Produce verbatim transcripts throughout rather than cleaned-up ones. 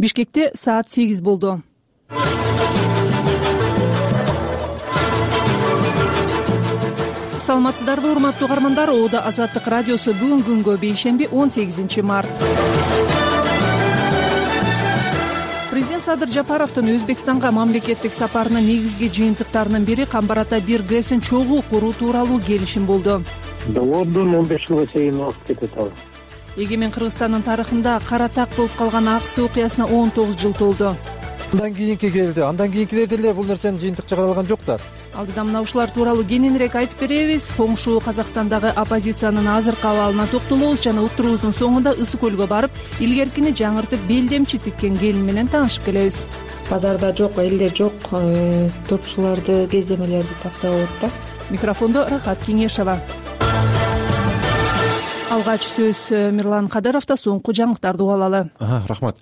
Бишкекте саат сегиз болду. Саламатсыздарбы, урматтуу угармандар. Оода Азаттык радиосу бүгүн күнгө бейшемби он сегизинчи март. Президент Садыр Жапаровдун Өзбекстанга мамлекеттик сапарынын негизги жыйынтыктарынын бири Камбар ата бир ГЭСин чогуу куруу тууралуу келишим болду. Договордун он беш жылга чейин убакыт кетет ал. Эгемен Кыргызстандын тарыхында кара так болуп калган аксы окуясына он тогуз жыл толду. Андан кийинки келди. Андан кийинкилер деле бул нерсени жыйынтыкча каралган жоктор. Алдыда мына ушулар тууралуу кененирээк айтып беребиз. Коңшу Казакстандагы оппозициянын азыркы абалына токтолобуз жана уктуруубуздун соңунда Ысык көлгө барып, илгеркини жаңыртып белдемчи тиккен келин менен таанышып келебиз. Базарда жок, элдер жок, топчуларды, кездемелерди тапса болот да. Микрофондо Рахат Кеңешова. Алгач сөз Мирлан Кадыровдо, соңку жаңылыктарды угалы. Рахмат.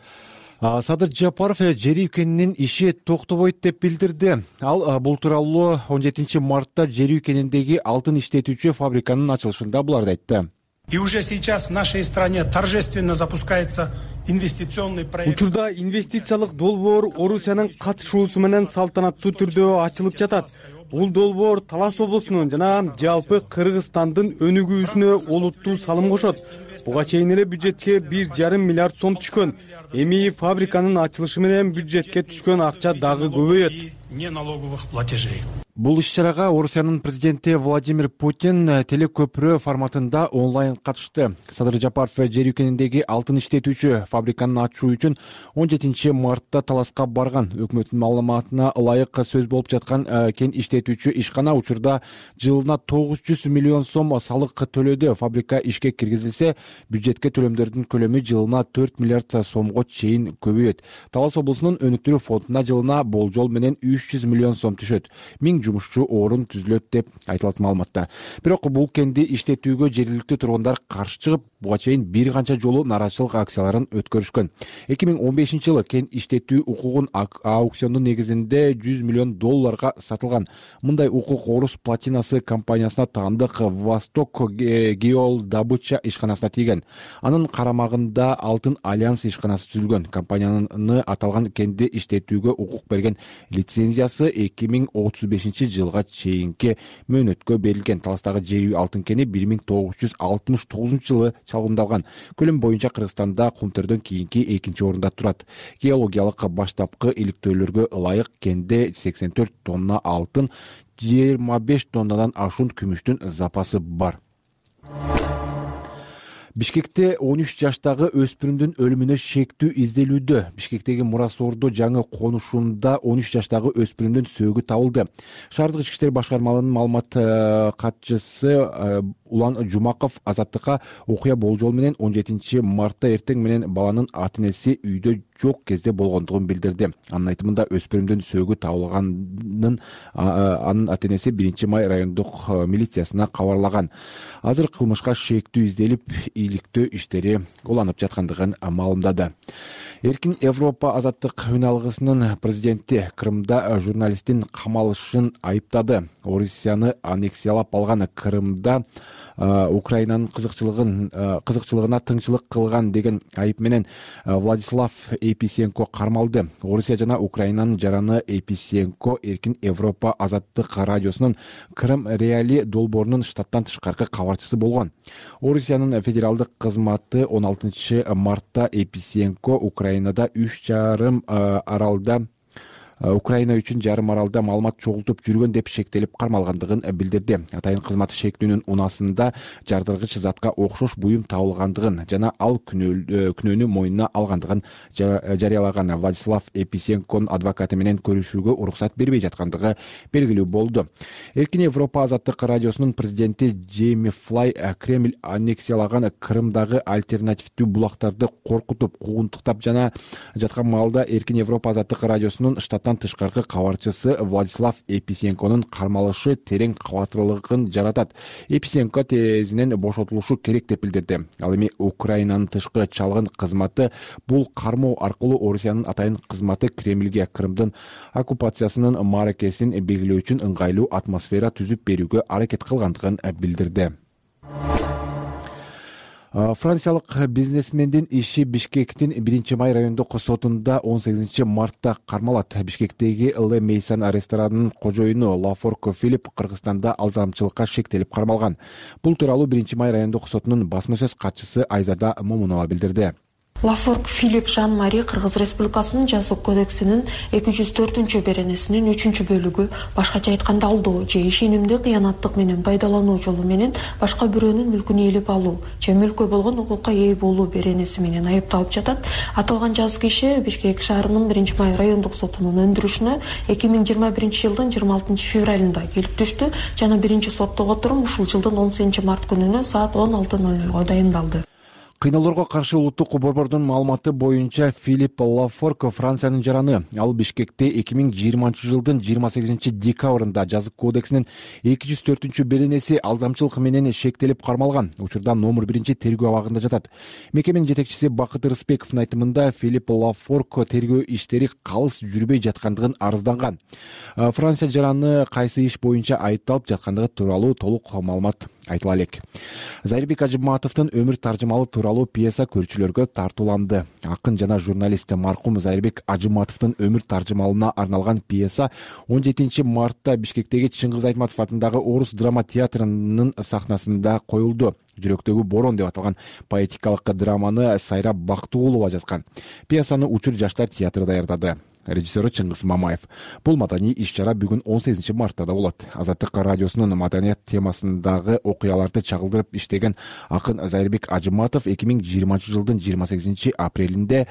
Садыр Жапаров жер үйкенинин иши токтобойт деп билдирди. Ал бул тууралуу он жетинчи мартта жер үйкениндеги алтын иштетүүчү фабриканын ачылышында буларды айтты. И уже сейчас в нашей стране торжественно запускается инвестиционный проект. Учурда инвестициялык долбоор Орусиянын катышуусу менен салтанаттуу түрдө ачылып жатат. Бул долбоор Талас облусунун жана жалпы Кыргызстандын өнүгүүсүнө олуттуу салым кошот. Буга чейин эле бюджетке бир жарым миллиард сом түшкөн. Эми фабриканын ачылышы менен бюджетке түшкөн акча дагы көбөйөт. Неналоговых платежей. Бул иш-чарага Орусиянын президенти Владимир Путин телекөпүрө форматында онлайн катышты. Садыр Жапаров жер үйкениндеги алтын иштетүүчү фабриканы ачуу үчүн он жетинчи мартта Таласка барган. Өкмөттүн маалыматына ылайык сөз болуп жаткан кен иштетүүчү ишкана учурда жылына тогуз жүз миллион сом салык төлөдү. Фабрика ишке киргизилсе, бюджетке төлөмдөрдүн көлөмү жылына төрт миллиард сомго чейин көбөйөт. Талас облусунун өнүктүрүү фондуна жылына болжол менен үч жүз миллион сом түшөт. Жумушчу орун түзүлөт деп айтылат маалыматта. Бирок бул кенди иштетүүгө жергиликтүү тургундар каршы чыгып, буга чейин бир канча жолу нааразычылык акцияларын өткөрүшкөн. эки миң он бешинчи жылы кен иштетүү укугун аукциондун негизинде жүз миллион долларга сатылган. Мындай укук Орус платинасы компаниясына таандык Восток Геолдобыча ишканасына тийген. Анын карамагында Алтын Альянс ишканасы түзүлгөн. Компаниянын аталган кенди иштетүүгө укук берген лицензиясы эки миң отуз бешинчи жылга чейинки мөөнөткө берилген. Таластагы жер үй алтын кени бир миң тогуз жүз алтымыш тогузунчу жылы чалгындалган. Көлөм боюнча Кыргызстанда Кумтөрдөн кийинки экинчи орунда турат. Геологиялык баштапкы иликтөөлөргө ылайык кенде сексен төрт тонна алтын, жыйырма беш тоннадан ашуун күмүштүн запасы бар. Бишкекте он үч жаштагы өспүрүмдүн өлүмүнө шектүү изделүүдө. Бишкектеги Мурасордо жаңы конушунда он үч жаштагы өспүрүмдүн сөөгү табылды. Шаардык ички иштер башкармаларынын маалымат катчысы Улан Жумаков Азаттыкка окуя болжол менен он жетинчи мартта эртең менен баланын ата-энеси үйдө жок кезде болгондугун билдирди. Анын айтымында өспүрүмдүн сөөгү табылганын анын ата-энеси биринчи май райондук милициясына кабарлаган. Азыр кылмышка шектүү изделип, иликтөө иштери уланып жаткандыгын маалымдады. Эркин Европа азаттык үн алгысынын президенти Крымда журналисттин камалышын айыптады. Орусияны аннексиялап алган Крымда Украинанын кызыкчылыгын кызыкчылыгына тыңчылык кылган деген айып менен Владислав Еписенко кармалды. Орусия жана Украинанын жараны Еписенко Эркин Европа азаттык радиосунун Крым Реали долбоорунун штаттан тышкаркы кабарчысы болгон. Орусиянын федералдык кызматы он алтынчы мартта Еписенко Украинада үч жарым аралда Украина үчүн жарым аралда маалымат чогултуп жүргөн деп шектелип кармалгандыгын билдирди. Атайын кызматы шектүүнүн унасында жардыргыч затка окшош буюм табылгандыгын жана ал күнөөнү мойнуна алгандыгын жарыялаган. Владислав Еписенконун адвокаты менен көрүшүүгө уруксат бербей жаткандыгы белгилүү болду. Эркин Европа азаттык радиосунун президенти Джейми Флай Кремль аннексиялаган Крымдагы альтернативдүү булактарды коркутуп, куугунтуктап жана жаткан маалда Эркин Европа азаттык радиосунун штаттан тышкаркы кабарчысы Владислав Еписенконун кармалышы терең кабаттуулугун жаратат. Еписенко тезинен бошотулушу керек деп билдирди. Ал эми Украинанын тышкы чалгын кызматы бул кармоо аркылуу Орусиянын атайын кызматы Кремльге Крымдын оккупациясынын мааракесин белгилөө үчүн ыңгайлуу атмосфера түзүп берүүгө аракет кылгандыгын билдирди. Франциялык бизнесмендин иши Бишкектин биринчи май райондук сотунда он сегизинчи мартта кармалат. Бишкектеги Ле Мейсан ресторанынын кожоюну Лафорк Филипп Кыргызстанда алдамчылыкка шектелип кармалган. Бул тууралуу биринчи май райондук сотунун басма сөз катчысы Айзада Момунова билдирди. Лафорк Филипп Жан Мари Кыргыз Республикасынын Жаза кодексинин эки жүз төртүнчү беренесинин үчүнчү бөлүгү башкача айтканда алдоо же ишенимди кыянаттык менен пайдалануу жолу менен башка бирөөнүн мүлкүн ээлеп алуу же мүлккө болгон укукка ээ болуу беренеси менен айыпталып жатат. Аталган жазык иши Бишкек шаарынын биринчи май райондук сотунун өндүрүшүнө эки миң жыйырма биринчи жылдын жыйырма алтынчы февралында келип түштү жана биринчи соттук отурум ушул жылдын он сегизинчи март күнүнө саат он алты ноль нольго дайындалды. Кыйноолорго каршы улуттук борбордун маалыматы боюнча Филипп Лафорк Франциянын жараны. Ал Бишкекте эки миң жыйырманчы жылдын жыйырма сегизинчи декабрында Жазык кодексинин эки жүз төртүнчү беренеси алдамчылык менен шектелип кармалган. Учурда номер биринчи тергөө абагында жатат. Мекеменин жетекчиси Бакыт Рысбековдун айтымында Филипп Лафорк тергөө иштери калыс жүрбөй жаткандыгын арызданган. Франция жараны кайсы иш боюнча айыпталып жаткандыгы тууралуу толук маалымат айтыла элек. Зайырбек Ажыматовдун өмүр таржымалы тууралуу пьеса көрүүчүлөргө тартууланды. Акын жана журналист маркум Зайырбек Ажыматовдун өмүр таржымалына арналган пьеса он жетинчи мартта Бишкектеги Чыңгыз Айтматов атындагы Орус драма театрынын сахнасында коюлду. Жүрөктөгү борон деп аталган поэтикалык драманы Сайра Бактыгулова жазган. Пьесаны Учур жаштар театры даярдады. Режиссеру Чыңгыз Мамаев. Бул маданий иш-чара бүгүн он сегизинчи мартта да болот. Азаттык радиосунун маданият темасындагы окуяларды чагылдырып иштеген акын Зайырбек Ажыматов эки миң жыйырманчы жылдын жыйырма сегизинчи апрелинде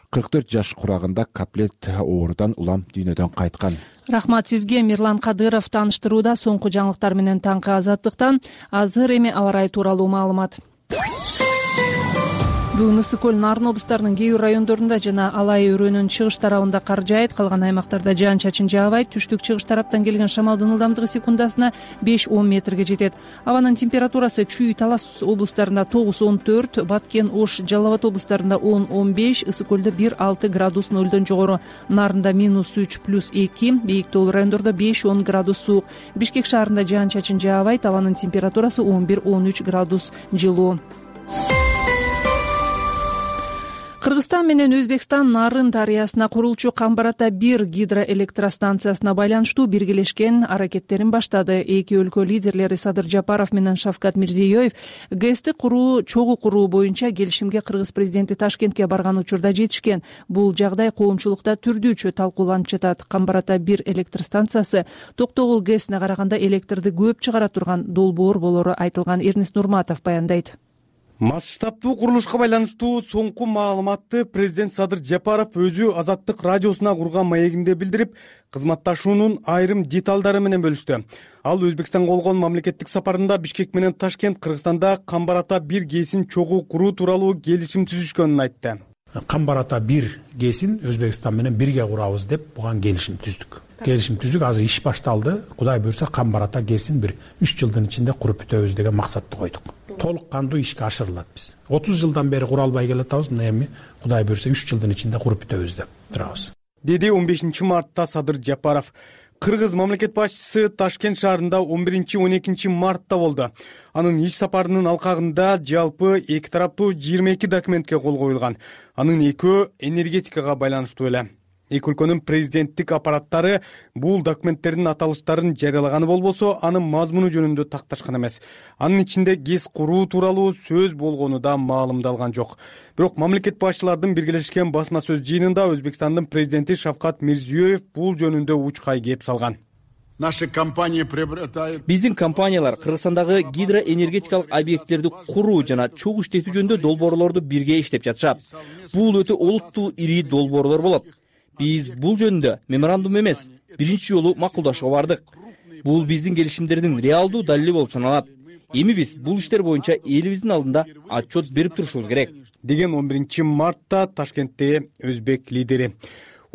кырк төрт жаш курагында каплет оорудан улам дүйнөдөн кайткан. Рахмат сизге, Мирлан Кадыров тааныштырууда соңку жаңылыктар менен таңкы Азаттыктан. Азыр эми аба ырайы тууралуу маалымат. Бүгүн ысык көл Нарын облустарынын кээ бир райондорунда жана Алай өрөөнүн чыгыш тарабында кар жаайт, калган аймактарда жаан чачын жаабайт. Түштүк чыгыш тараптан келген шамалдын ылдамдыгы секундасына беш он метрге жетет. Абанын температурасы Чүй, Талас облустарында тогуз он төрт, Баткен, Ош, Жалал Абад облустарында он он беш, ысык көлдө бир алты градус нөлдөн жогору, Нарында минус үч плюс эки, бийик тоолуу райондордо беш он градус суук. Бишкек шаарында жаан чачын жаабайт, абанын температурасы он бир он үч градус жылуу. Кыргызстан менен Өзбекстан Нарын дарыясына курулчу Камбар-Ата бир гидроэлектростанциясына байланыштуу биргелешкен аракеттерин баштады. Эки өлкө лидерлери Садыр Жапаров менен Шавкат Мирзиёев ГЭСти куруу, чогуу куруу боюнча келишимге Кыргыз президенти Ташкентке барган учурда жетишкен. Бул жагдай коомчулукта түрдүүчө талкууланып жатат. Камбар-Ата бир электростанциясы Токтогул ГЭСине караганда электрди көп чыгара турган долбоор болору айтылган. Эрнест Нурматов баяндайт. Масштабдуу курулушка байланыштуу соңку маалыматты президент Садыр Жапаров өзү Азаттык радиосуна курган маегинде билдирип, кызматташуунун айрым деталдары менен бөлүштү. Ал Өзбекстанга болгон мамлекеттик сапарында Бишкек менен Ташкент Кыргызстанда Камбар-Ата бир ГЭСин чогуу куруу тууралуу келишим түзүшкөнүн айтты. Камбар-Ата бир ГЭСин Өзбекстан менен бирге курабыз деп буга келишим түздүк. Келишим түздүк, азыр иш башталды. Кудай буйрса Камбар-Ата ГЭСин бир үч жылдын ичинде куруп бүтөбүз деген максатты койдук. Толук кандуу ишке ашырылат биз. отуз жылдан бери кура албай келатабыз, мына эми Кудай буйрса үч жылдын ичинде куруп бүтөбүз деп турабыз. Деди он бешинчи мартта Садыр Жапаров. Кыргыз мамлекет башчысы Ташкент шаарында он биринчи он экинчи мартта болду. Анын иш сапарынын алкагында жалпы эки тараптуу жыйырма эки документке кол коюлган. Анын экөө энергетикага байланыштуу эле. Эки өлкөнүн президенттик аппараттары бул документтердин аталыштарын жарыялаганы болбосо, анын мазмуну жөнүндө такташкан эмес. Анын ичинде ГЭС куруу тууралуу сөз болгону да маалымдалган жок. Бирок мамлекет башчылардын биргелешкен басма сөз жыйынында Өзбекстандын президенти Шавкат Мирзиёев бул жөнүндө учкай кеп салган. Биздин компаниялар Кыргызстандагы гидроэнергетикалык объекттерди куруу жана чогуу иштетүү жөнүндө долбоорлорду бирге иштеп жатышат. Бул өтө олуттуу ири долбоорлор болот. Биз бул жөнүндө меморандум эмес, биринчи жолу макулдашууга бардык. Бул биздин келишимдердин реалдуу далили болуп саналат. Эми биз бул иштер боюнча элибиздин алдында отчет берип турушубуз керек, деген он биринчи мартта Ташкентте өзбек лидери.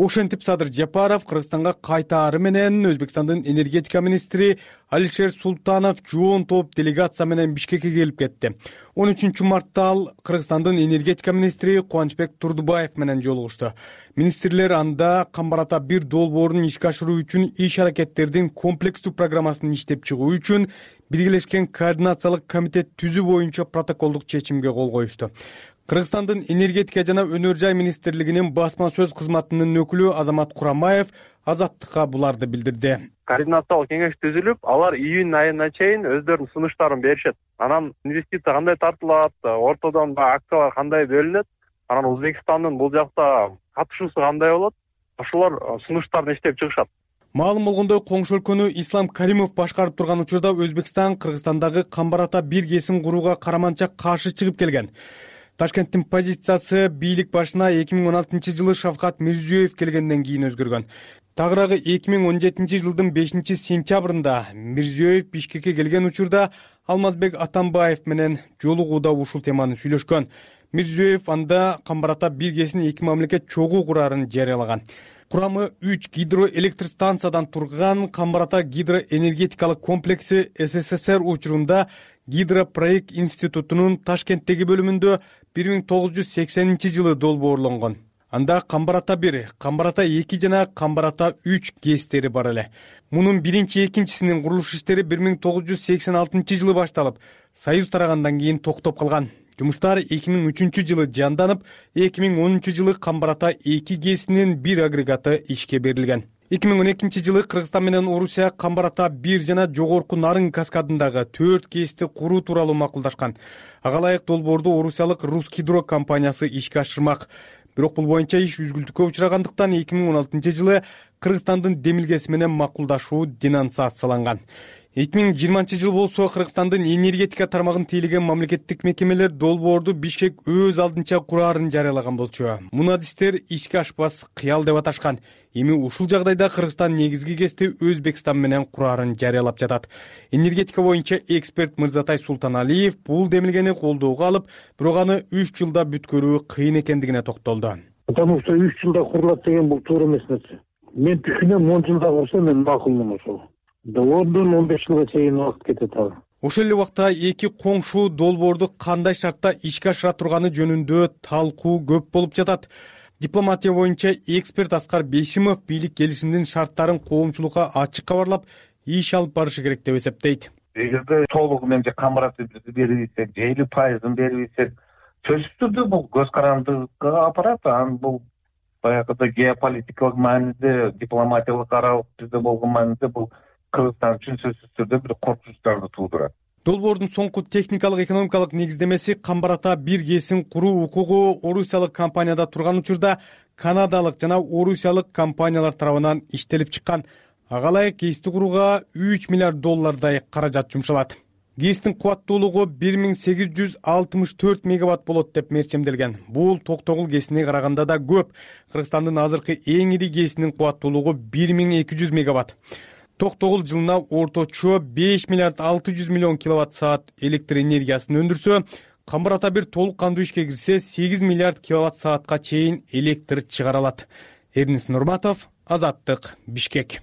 Ошентип Садыр Жапаров Кыргызстанга кайтаары менен Өзбекстандын энергетика министри Алишер Султанов жоон топ делегация менен Бишкекке келип кетти. он үчүнчү мартта ал Кыргызстандын энергетика министри Кубанычбек Турдубаев менен жолугушту. Министрлер анда Камбар-Ата бир долбоорун ишке ашыруу үчүн иш-аракеттердин комплекстүү программасын иштеп чыгуу үчүн биргелешкен координациялык комитет түзүү боюнча протоколдук чечимге кол коюшту. Кыргызстандын энергетика жана өнөр жай министрлигинин басма сөз кызматынын өкүлү Азамат Курамаев Азаттыкка буларды билдирди. Координациялык кеңеш түзүлүп, алар июнь айына чейин өздөрүнүн сунуштарын беришет. Анан инвестиция кандай тартылат, ортодон акциялар кандай бөлүнөт, анан Өзбекстандын бул жакта катышуусу кандай болот, ошолор сунуштарын иштеп чыгышат. Маалым болгондой, коңшу өлкөнү Ислам Каримов башкарып турган учурда Өзбекстан Кыргызстандагы Камбар-Ата бир кесин курууга караманча каршы чыгып келген. Ташкенттин позициясы бийлик башына эки миң он алтынчы жылы Шавкат Мирзиёев келгенден кийин өзгөргөн. Тагыраагы эки миң он жетинчи жылдын бешинчи сентябрында Мирзиёев Бишкекке келген учурда Алмазбек Атамбаев менен жолугууда ушул теманы сүйлөшкөн. Мирзиёев анда Камбар-Ата бир кесин эки мамлекет чогуу курарын жарыялаган. Курамы үч гидроэлектр станциядан турган Камбар-Ата гидроэнергетикалык комплекси СССР учурунда Гидропроект институтунун Ташкенттеги бөлүмүндө бир миң тогуз жүз сексенинчи жылы долбоорлонгон. Анда Камбар-Ата бир, Камбар-Ата эки жана Камбар-Ата үч гэстери бар эле. Мунун биринчи экинчисинин курулуш иштери бир миң тогуз жүз сексен алтынчы жылы башталып, Союз тарагандан кийин токтоп калган. Жумуштар эки миң үчүнчү жылы жанданып, эки миң онунчу жылы Камбар-Ата эки гэсинин бир агрегаты ишке берилген. эки миң он экинчи жылы Кыргызстан менен Орусия Камбар-Ата бир жана жогорку Нарын каскадындагы төрт гэсти куруу тууралуу макулдашкан. Ага ылайык долбоорду орусиялык Русгидро компаниясы ишке ашырмак. Бирок бул боюнча иш үзгүлтүккө учурагандыктан эки миң он алтынчы жылы Кыргызстандын демилгеси менен макулдашуу денонсацияланган. эки миң жыйырманчы жыл болсо Кыргызстандын энергетика тармагын тейлеген мамлекеттик мекемелер долбоорду Бишкек өз алдынча кураарын жарыялаган болчу. Муну адистер ишке ашпас кыял деп аташкан. Эми ушул жагдайда Кыргызстан негизги кести Өзбекстан менен кураарын жарыялап жатат. Энергетика боюнча эксперт Мырзатай Султаналиев бул демилгени колдоого алып, бирок аны үч жылда бүткөрүү кыйын экендигине токтолду. Потому что үч жылда курулат деген бул туура эмес нерсе. Мен түшүнөм, он жылда курса мен макулмун ошол. Долбоордон он беш жылга чейин убакыт кетет ал. Ошол эле убакта эки коңшу долбоорду кандай шартта ишке ашыра турганы жөнүндө талкуу көп болуп жатат. Дипломатия боюнча эксперт Аскар Бейшимов бийлик келишимдин шарттарын коомчулукка ачык кабарлап, иш алып барышы керек деп эсептейт. Эгерде толугу менен же Камбар-Атаны берип ийсек, же элүү пайызын берип ийсек, сөзсүз түрдө бул көз карандылыкка апарат. Анан бул баягыда геополитикалык мааниде, дипломатиялык аралык бизде болгон мааниде бул Кыргызстан үчүн сөзсүз түрдө бир коркунучтарды туудурат. Долбоордун соңку техникалык экономикалык негиздемеси Камбар-Ата бир гэсин куруу укугу орусиялык компанияда турган учурда канадалык жана орусиялык компаниялар тарабынан иштелип чыккан. Ага ылайык гэсти курууга үч миллиард доллардай каражат жумшалат. гэстин кубаттуулугу бир миң сегиз жүз алтымыш төрт мегаватт болот деп мерчемделген. Бул Токтогул гэсине караганда да көп. Кыргызстандын азыркы эң ири гэсинин кубаттуулугу бир миң эки жүз мегаватт. Токтогул жылына орточо беш миллиард алты жүз миллион киловатт саат электр энергиясын өндүрсө, Камбар-Ата бир толук кандуу ишке кирсе сегиз миллиард киловатт саатка чейин электр чыгара алат. Эрнис Нурматов, Азаттык, Бишкек.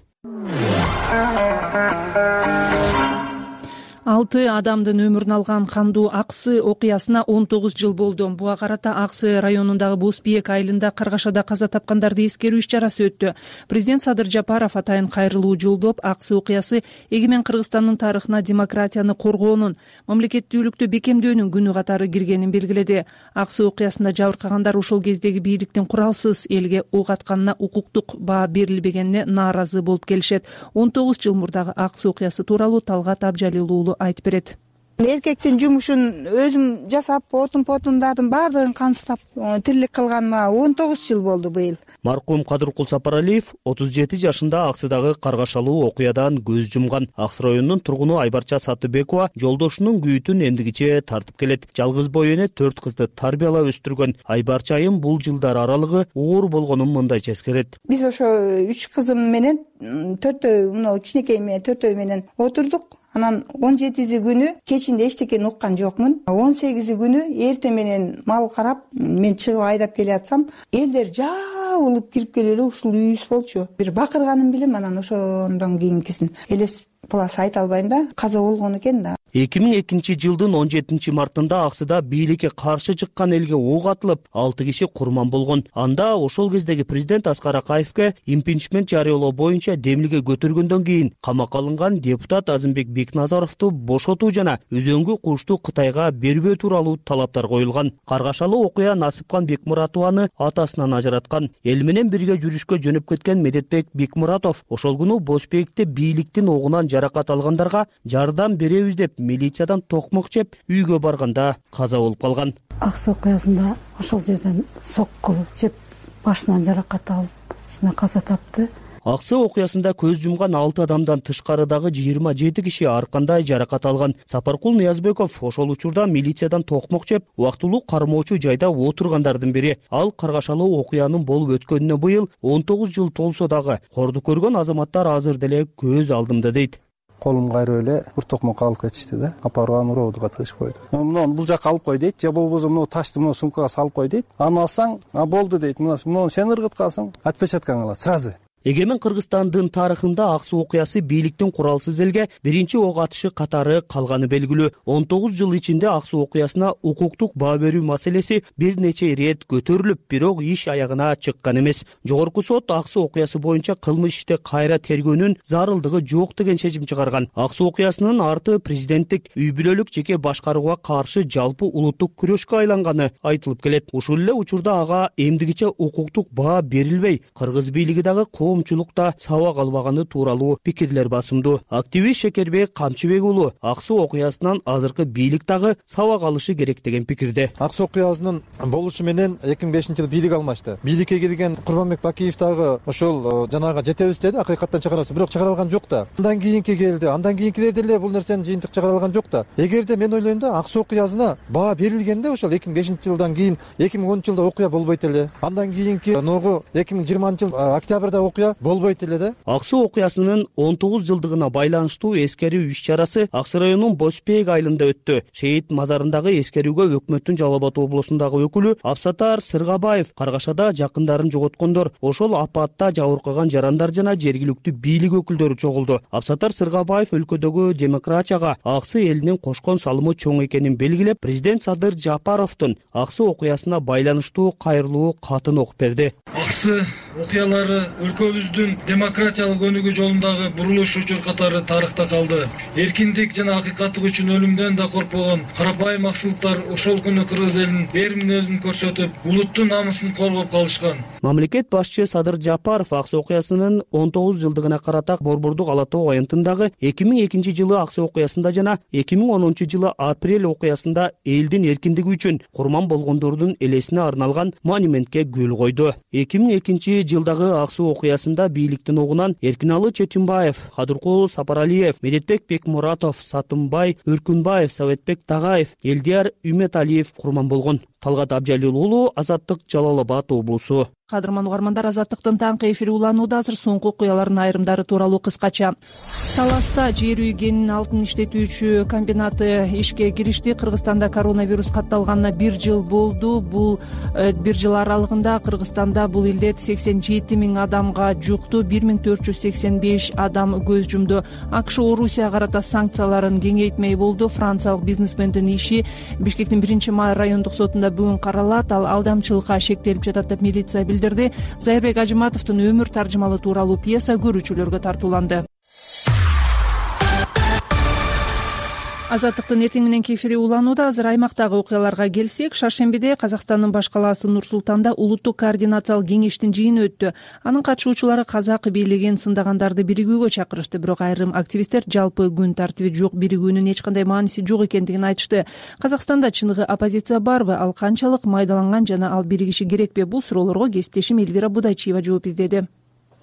Алты адамдын өмүрүн алган Кандуу Аксы окуясына он тогуз жыл болду. Буга карата Аксы районундагы Боз Бийек айылында Каргашада каза тапкандарды эскерүү иш-чарасы өттү. Президент Садыр Жапаров атайын кайрылуу жолдоп, Аксы окуясы эгемен Кыргызстандын тарыхына демократияны коргоонун, мамлекеттүүлүктү бекемдөөнүн күнү катары киргенин белгиледи. Аксы окуясында жабыркагандар ошол кездеги бийликтин куралсыз элге ок атканына укуктук баа берилбегенине нааразы болуп келишет. он тогуз жыл мурдагы Аксы окуясы тууралуу Талгат Абжалил уулу айтып берет. Эркектин жумушун өзүм жасап, отун потундардын баардыгын камсыздап тирилик кылганыма он тогуз жыл болду быйыл. Маркум Кадыркул Сапаралиев отуз жети жашында Аксыдагы каргашалуу окуядан көз жумган. Аксы районунун тургуну Айбарча Сатыбекова жолдошунун күйүтүн эндигиче тартып келет. Жалгыз бой эне төрт кызды тарбиялап өстүргөн. Айбарча айым бул жылдар аралыгы оор болгонун мындайча эскерет. Биз ошо үч кызым менен төртөө, мына кичинекей менен төртөө менен отурдук. Анан он жетиси күнү кечинде эчтекени уккан жокмун. он сегизи күнү эрте менен мал карап, мен чыгып айдап келатсам, элдер жаа улуп кирип келип эле ушул үйүбүз болчу. Бир бакырганын билем, анан ошондон кийинкисин элес плас айта албайм да, каза болгон экен да. эки миң экинчи жылдын он жетинчи мартында Аксыда бийликке каршы чыккан элге ок атылып, алты киши курман болгон. Анда ошол кездеги президент Аскар Акаевке импичмент жарыялоо боюнча демилге көтөргөндөн кийин камакка алынган депутат Азымбек Бекназаровду бошотуу жана өзөңгү кушту Кытайга бербөө тууралуу талаптар коюлган. Каргашалуу окуя Насыпкан Бекмуратованы атасынан ажыраткан. Эл менен бирге жүрүшкө жөнөп кеткен Медетбек Бекмуратов ошол күнү Босбекте бийликтин огунан жаракат алгандарга жардам беребиз деп милициядан токмок жеп үйгө барганда каза болуп калган. Аксы окуясында ошол жерден сокку жеп башынан жаракат алып, ушуна каза тапты. Аксы окуясында көз жумган алты адамдан тышкарыдагы жыйырма жети киши ар кандай жаракат алган. Сапаркул Ниязбеков ошол учурда милициядан токмок жеп, убактылуу кармоочу жайда отургандардын бири. Ал каргашалуу окуянын болуп өткөнүнө быйыл он тогуз жыл толсо дагы корду көргөн азаматтар азыр деле көз алдымда дейт. Колум кайрып эле ур токмокко алып кетишти да. Апарган уроодуга тыгышып койду. Муну бул жакка алып кой дейт, же болбосо муну ташты муну сумкага салып кой дейт. Аны алсаң, а болду дейт. Муну сен ыргыткансың, отпечаткаң алат сразу. Эгемен Кыргызстандын тарыхында Аксы окуясы бийликтин куралсыз элге биринчи ок атышы катары калганы белгилүү. он тогуз жыл ичинде Аксы окуясына укуктук баа берүү маселеси бир нече ирет көтөрүлүп, бирок иш аягына чыккан эмес. Жогорку сот Аксы окуясы боюнча кылмыш ишти кайра тергөөнүн зарылдыгы жок деген чечим чыгарган. Аксы окуясынын арты президенттик үй бүлөлүк жеке башкарууга каршы жалпы улуттук күрөшкө айланганы айтылып келет. Ушул эле учурда ага эмдигиче укуктук баа берилбей, кыргыз бийлиги дагы коомчулукта сабак албаганы тууралуу пикирлер басымдуу. Активист Шекербек Камчыбек уулу Аксы окуясынан азыркы бийлик дагы сабак алышы керек деген пикирде. Аксы окуясынын болушу менен эки миң бешинчи жылы бийлик алмашты. Бийликке келген Курманбек Бакиев дагы ошол жанагы жетебиз деди, акыйкаттан чыгарабыз, бирок чыгара алган жок да. Андан кийинки келди, андан кийинкилер деле бул нерсени жыйынтык чыгара алган жок да. Эгерде мен ойлойм да, Аксы окуясына баа берилгенде ошол эки миң бешинчи жылдан кийин эки миң онунчу жылда окуя болбойт эле. Андан кийинки ногу эки миң жыйырманчы жыл октябрда окуя болбойт эле да. Аксы окуясынын он тогуз жылдыгына байланыштуу эскерүү иш-чарасы Аксы районунун Босбек айылында өттү. Шейит мазарындагы эскерүүгө өкмөттүн Жалал Абад облусундагы өкүлү Абсатар Сыргабаев, Каргашада жакындарын жоготкондор, ошол апатта жабыркаган жарандар жана жергиликтүү бийлик өкүлдөрү чогулду. Абсатар Сыргабаев өлкөдөгү демократияга Аксы элинин кошкон салымы чоң экенин белгилеп, президент Садыр Жапаровдун Аксы окуясына байланыштуу кайрылуу катын окуп берди. Аксы окуялары өлкөбүздүн демократиялык өнүгүү жолундагы бурулуш учур катары тарыхта калды. Эркиндик жана акыйкаттык үчүн өлүмдөн да коркпогон карапайым аксылыктар ошол күнү кыргыз элинин эр мүнөзүн көрсөтүп, улуттун намысын коргоп калышкан. Мамлекет башчы Садыр Жапаров Аксы окуясынын он тогуз жылдыгына карата Борбордук Ала Тоо аянтындагы эки миң экинчи жылы Аксы окуясында жана эки миң онунчу жылы апрель окуясында элдин эркиндиги үчүн курман болгондордун элесине арналган монументке гүл койду. эки миң экинчи жылдагы Аксы окуясында бийликтин огунан Эркиналы Четимбаев, Кадыркул Сапаралиев, Медетбек Бекмуратов, Сатымбай Үркүнбаев, Советбек Тагаев, Элдияр Үметалиев курман болгон. Талгат Абжалил уулу, Азаттык, Жалал Абад облусу. Кадырман угармандар, Азаттыктын таңкы эфири уланууда. Азыр соңку окуялардын айрымдары тууралуу кыскача. Таласта жер үй кенин алтын иштетүүчү комбинаты ишке киришти. Кыргызстанда коронавирус катталганына бир жыл болду. Бул бир жыл аралыгында Кыргызстанда бул илдет сексен жети миң адамга жукту, бир миң төрт жүз сексен беш адам көз жумду. АКШ Орусияга карата санкцияларын кеңейтмей болду. Франциялык бизнесмендин иши Бишкектин биринчи май райондук сотунда бүгүн каралат. Ал алдамчылыкка шектелип жатат деп милиция билдирди. Зайырбек Ажыматовдун өмүр таржымалы тууралуу пьеса көрүүчүлөргө тартууланды. Азаттыктын эртең мененки эфири уланууда. Азыр аймактагы окуяларга келсек, Шаршембиде Казакстандын баш калаасы Нур-Султанда улуттук координациялык кеңештин жыйыны өттү. Анын катышуучулары казак бийлигин сындагандарды биригүүгө чакырышты, бирок айрым активисттер жалпы күн тартиби жок биригүүнүн эч кандай мааниси жок экендигин айтышты. Казакстанда чыныгы оппозиция барбы, ал канчалык майдаланган жана ал биригиши керекпи? Бул суроолорго кесиптешим Эльвира Будайчиева жооп издеди.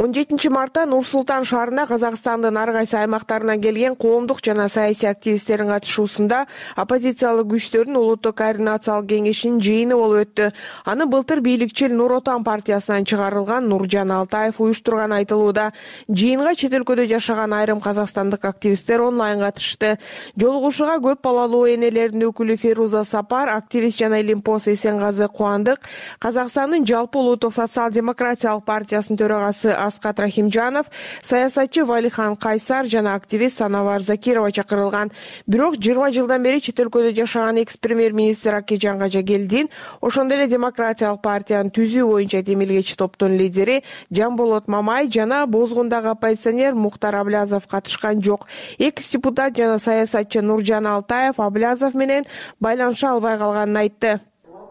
он жетинчи мартта Нур Султан шаарында Казакстандын ар кайсы аймактарынан келген коомдук жана саясий активисттердин катышуусунда оппозициялык күчтөрдүн улуттук координациялык кеңешинин жыйыны болуп өттү. Аны былтыр бийликчил Нур Отан партиясынан чыгарылган Нуржан Алтаев уюштурган айтылууда. Жыйынга чет өлкөдө жашаган айрым казакстандык активисттер онлайн катышты. Жолугушууга көп балалуу энелердин өкүлү Феруза Сапар, активист жана Илимпос Эсенгазы Кубандык, Казакстандын жалпы улуттук социал-демократиялык партиясынын төрагасы Аскат Рахимжанов, саясатчы Валихан Кайсар жана активист Санавар Закирова чакырылган. Бирок жыйырма жылдан бери чет өлкөдө жашаган экс-премьер-министр Акежан Кажагелдин, ошондой эле демократиялык партиянын түзүү боюнча демилгечи топтун лидери Жамболот Мамай жана Бозгундагы оппозиционер Мухтар Аблязов катышкан жок. Экс-депутат жана саясатчы Нуржан Алтаев Аблязов менен байланыша албай калганын айтты.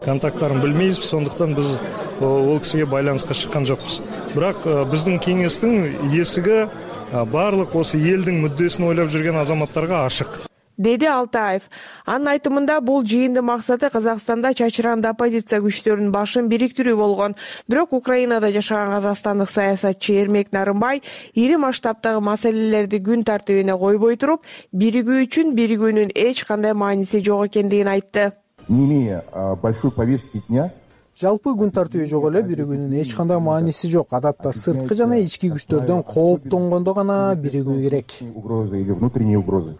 Контакттарын билмейбиз, сондуктан биз ол кишиге байланыска чыккан жокпуз. Бирок биздин кеңештин эсиги баардык осы элдин мүддөсүн ойлоп жүргөн азаматтарга ашык, деди Алтаев. Анын айтымында бул жыйындын максаты Казакстанда чачыранды оппозиция күчтөрүнүн башын бириктирүү болгон. Бирок Украинада жашаган казакстандык саясатчы Эрмек Нарымбай ири масштабтагы маселелерди күн тартибине койбой туруп, биригүү үчүн биригүүнүн эч кандай мааниси жок экендигин айтты. Не имея большой повестки дня, жалпы күн тартиби жок эле, биригүүнүн эч кандай мааниси жок. Адатта сырткы жана ички күчтөрдөн кооптонгондо гана биригүү керек. Угрозы или внутренние угрозы.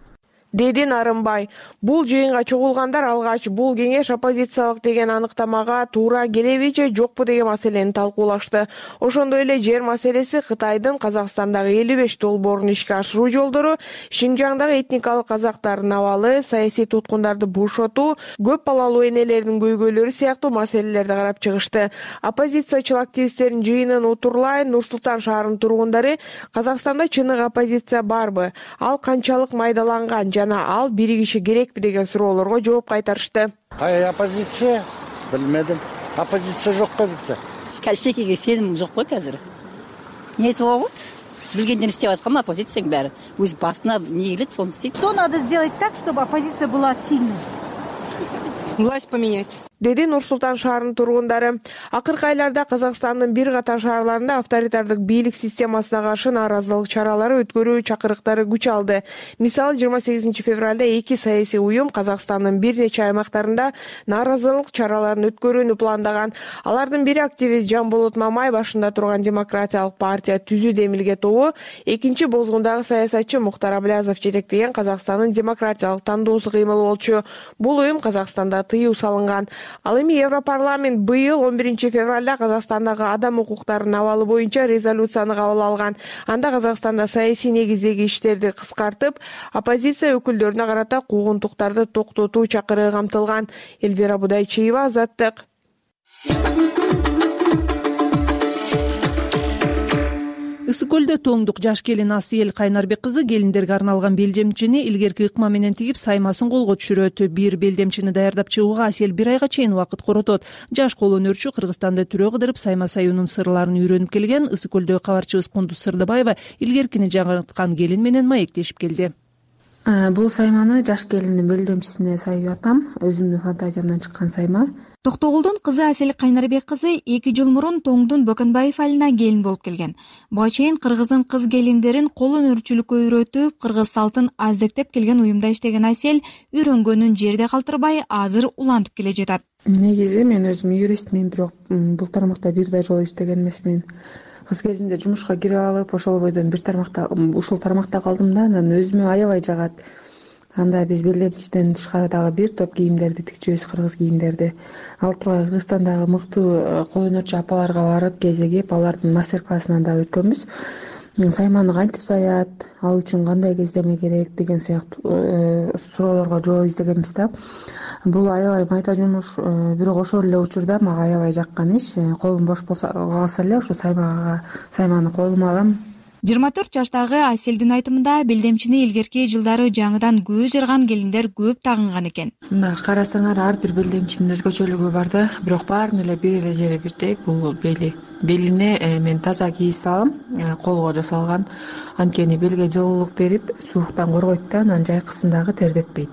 деди Нарымбай. Бул жыйынга чогулгандар алгач бул кеңеш оппозициялык деген аныктамага туура келеби же жокпу деген маселени талкуулашты. Ошондой эле жер маселеси, Кытайдын Казакстандагы элүү беш долбоорун ишке ашыруу жолдору, Шинжаңдагы этникалык казактардын абалы, саясий туткундарды бошотуу, көп балалуу энелердин көйгөйлөрү сыяктуу маселелерди карап чыгышты. Оппозициячыл активисттердин жыйынын утурлайын Нур Султан шаарынын тургундары Казакстанда чыныгы оппозиция барбы, ал канчалык майдаланган жана ал биригиши керекпи деген суроолорго жооп кайтарышты. Кай оппозиция? Билмедим. Оппозиция жок го бизде. Кайсыкеге сеним жок го азыр. Не болот? Билгенден иштеп аткан оппозицияң баары. Өз басына не келет, сону истейт. Что надо сделать так, чтобы оппозиция была сильной? Власть поменять, деди Нур Султан шаарынын тургундары. Акыркы айларда Казакстандын бир катар шаарларында авторитардык бийлик системасына каршы нааразылык чаралары өткөрүү чакырыктары күч алды. Мисалы, жыйырма сегизинчи февралда эки саясий уюм Казакстандын бир нече аймактарында нааразылык чараларын өткөрүүнү пландаган. Алардын бири активист Жамболот Мамай башында турган Демократиялык партия түзүү демилге тобу, экинчи Бозгундагы саясатчы Мухтар Аблязов жетектеген Казакстандын демократиялык тандоосу кыймыл болчу. Бул уюм Казакстанда тыюу салынган. Ал эми Европарламент быйыл он биринчи февралда Казакстандагы адам укуктарынын абалы боюнча резолюцияны кабыл алган. Анда Казакстанда саясий негиздеги иштерди кыскартып, оппозиция өкүлдөрүнө карата куугунтуктарды токтотуу чакырыгы камтылган. Элвира Будайчиева, Азаттык. Ысык көлдө тоңдук жаш келин Асыел Кайнарбек кызы келиндерге арналган белдемчини илгерки ыкма менен тигип саймасын колго түшүрөт. Бир белдемчини даярдап чыгууга Асыел бир айга чейин убакыт коротот. Жаш кол өнөрчү Кыргызстанда түрө кыдырып сайма саюунун сырларын үйрөнүп келген Ысык көлдөгү кабарчыбыз Кундуз Сырдыбаева илгеркини жаңырткан келин менен маектешип келди. Бул сайманы жаш келиндин белдемчисине сайып атам. Өзүмдүн фантазиямдан чыккан сайма. Токтогулдун кызы Асел Кайнарбек кызы эки жыл мурун Тоңдун Бөкөнбаев айылына келин болуп келген. Буга чейин кыргыздын кыз келиндерин кол өнөрчүлүккө үйрөтүп, кыргыз салтын аздектеп келген уюмда иштеген Асел үйрөнгөнүн жерде калтырбай, азыр улантып келе жатат. Негизи мен өзүм юристмин, бирок бул тармакта бир да жолу иштеген эмесмин. Кыз кезинде жумушка кирип алып, ошол бойдон бир тармакта, ушул тармакта калдым да, анан өзүмө аябай жагат. Анда биз белдемчиден тышкары дагы бир топ кийимдерди тикчүбүз, кыргыз кийимдерди. Алып турган Кыргызстандагы мыктуу кол өнөрчү апаларга барып кезегип, алардын мастер-классынан да өткөнбүз. Сайманы кантип саят, ал үчүн кандай кездеме керек деген сыяктуу суроолорго жооп издегенбиз да. Бул аябай майда жумуш, бирок ошол эле учурда мага аябай жаккан иш. Колум бош болсо калса эле ушу саймага сайманы колума алам. жыйырма төрт жаштагы Аселдин айтымында белдемчини илгерки жылдары жаңыдан көз жарган келиндер көп тагынган экен. Мына карасаңар, ар бир белдемчинин өзгөчөлүгү бар да, бирок баарынын эле бир эле жери бирдей, бул бели. Белине мен таза кийиз алам, колго жасалган. Анткени белге жылуулук берип, сууктан коргойт да, анан жайкысын дагы тердетпейт.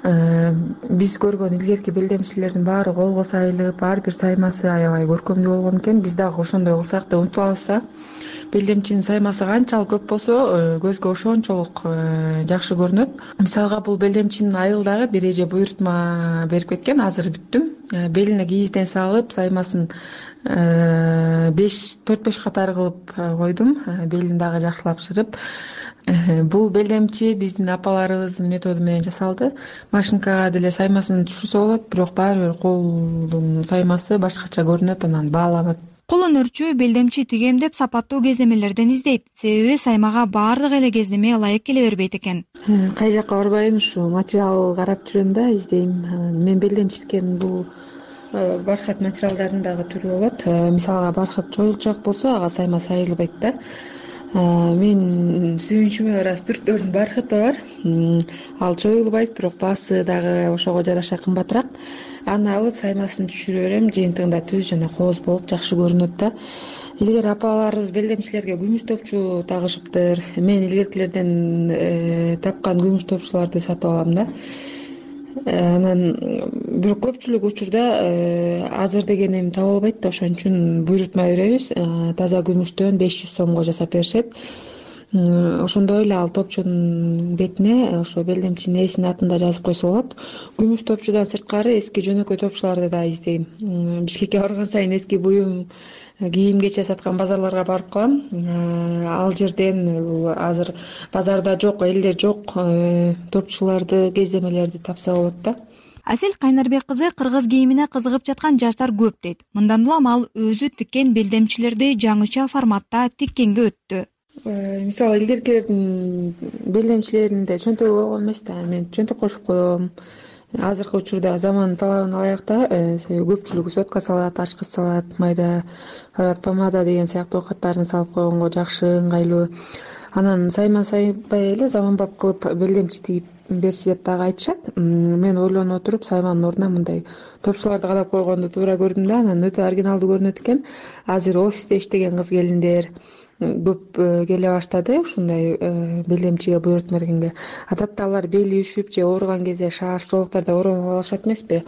Биз көргөн илгерки белдемчилердин баары колго сайылып, ар бир саймасы аябай көркөмдүү болгон экен. Биз дагы ошондой кылсак деп умтулабыз да. белдемчинин саймасы канчалык көп болсо көзгө ошончолук жакшы көрүнөт. Мисалга бул белдемчинин айылдагы бир эже буйрутма берип кеткен, азыр бүттүм. Белине кийизден салып, саймасын беш төрт беш катар кылып койдум, белин дагы жакшылап шырып. Бул белдемчи биздин апаларыбыздын методу менен жасалды. Машинкага деле саймасын түшүрсө болот, бирок баары бир колдун саймасы башкача көрүнөт, анан бааланат. Кол өнөрчү белдемчи тигем деп сапаттуу кездемелерден издейт. Себеби саймага баардык эле кездеме ылайык келе бербейт экен. Кай жакка барбайын, ушу материал карап жүрөм да, издейм. Мен белдемчи тиккен бул бархат материалдардын дагы түрү болот. Мисалга бархат чоюлчак болсо, ага сайма сайылбайт да. Мен сүйүнчүмө ырас түрктөрдүн бархаты бар. Ал чоюлбайт, бирок баасы дагы ошого жараша кымбатыраак. Аны алып саймасын түшүрө берем, жыйынтыгында түз жана кооз болуп жакшы көрүнөт да. Илгери апаларыбыз белдемчилерге күмүш топчу тагышыптыр. Мен илгеркилерден тапкан күмүш топчуларды сатып алам да. Анан бирок көпчүлүк учурда азыр деген эми таба албайт да, ошон үчүн буйрутма беребиз. Таза күмүштөн беш жүз сомго жасап беришет. Ошондой эле ал топчунун бетине ошо белдемчинин ээсинин атын да жазып койсо болот. Күмүш топчудан сырткары эски жөнөкөй топчуларды да издейм. Бишкекке барган сайын эски буюм, кийим-кече саткан базарларга барып калам. Ал жерден азыр базарда жок, элде жок топчуларды, кездемелерди тапса болот да. Асель Кайнарбек кызы кыргыз кийимине кызыгып жаткан жаштар көп дейт. Мындан улам ал өзү тиккен белдемчилерди жаңыча форматта тиккенге өттү. Мисалы илгеркилердин белдемчилеринде чөнтөгү болгон эмес да, мен чөнтөк кошуп коем. Азыркы учурда заман талабына ылайык да, себеби көпчүлүгү сотка салат, ачкыч салат, майда барат, помада деген сыяктуу оокаттарын салып койгонго жакшы, ыңгайлуу. Анан сайма сайбай эле заманбап кылып белдемчи тигип берчи деп дагы айтышат. Мен ойлонуп отуруп сайманын ордуна мындай топчуларды кадап койгонду туура көрдүм да, анан өтө оригиналдуу көрүнөт экен. Азыр офисте иштеген кыз келиндер көп келе баштады ушундай белдемчиге буйрутма бергенге. Адатта алар бели үшүп же ооруган кезде шарф чолоктарда ороонуп алышат эмеспи?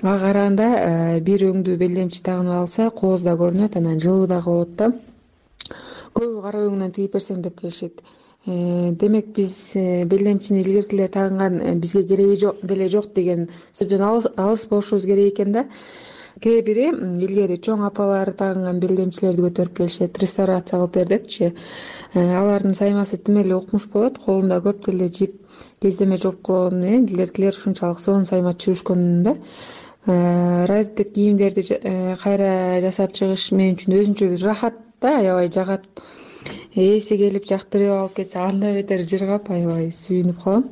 Ага караганда бир өңдүү белдемчи тагынып алса, кооз да көрүнөт, анан жылуу дагы болот да. Көбү кара өңүнөн тигип берсең деп келишет. Демек биз белдемчини илгеркилер тагынган бизге кереги жок деле жок деген сөздөн алыс болушубуз керек экен да. Кээ бири илгери чоң апалар тагынган белдемчилерди көтөрүп келишет, реставрация кылып бер депчи. Алардын саймасы тим эле укмуш болот, колунда көп деле жип кездеме жоп болгону менен илгеркилер ушунчалык сонун сайма түшүрүшкөн да. Раритет кийимдерди кайра жасап чыгыш мен үчүн өзүнчө бир рахат да, аябай жагат. Ээси келип жактырып алып кетсе, анда бетер жыргап аябай сүйүнүп калам.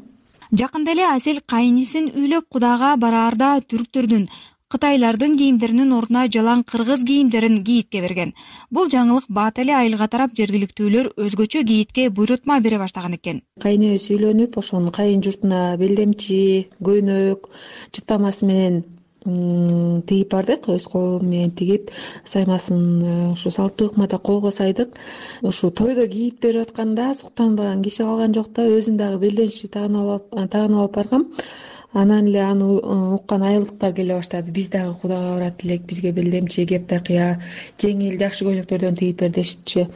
Жакында эле Асель кайнисин үйлөп Кудага бараарда түрктөрдүн, кытайлардын кийимдеринин ордуна жалаң кыргыз кийимдерин гидке берген. Бул жаңылык бат эле айылга тарап жергиликтүүлөр өзгөчө гидке буйрутма бере баштаган экен. Кайныбыз үйлөнүп, ошонун кайын журтуна белдемчи, көйнөк, чыптамасы менен тигип бардык, өз колум менен тигип, саймасын ушу салттуу ыкмада колго сайдык. Ушу тойдо кийип берип атканда суктанбаган киши калган жок да, өзүм дагы белдемчи тагынып алып баргам. Анан эле аны уккан айылдыктар келе баштады. Биз дагы Кудага барат элек, бизге белдемчи, кеп такыя, жеңил, жакшы көйнөктөрдөн тигип бер дешипчи.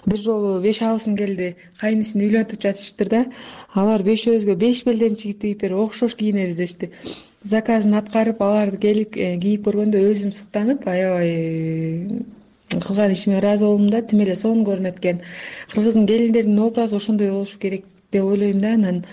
Бир жолу беш абысын келди, кайнысын үйлөнтүп жатышыптыр да. Алар бешөөбүзгө беш белдемчи тигип берип окшош кийинебиз дешти. Заказын аткарып, аларды келип кийип көргөндө өзүм суктанып, аябай кылган ишиме ыраазы болдум да, тим эле сонун көрүнөт экен. Кыргыздын келиндеринин образы ошондой болушу керек деп ойлойм да. Анан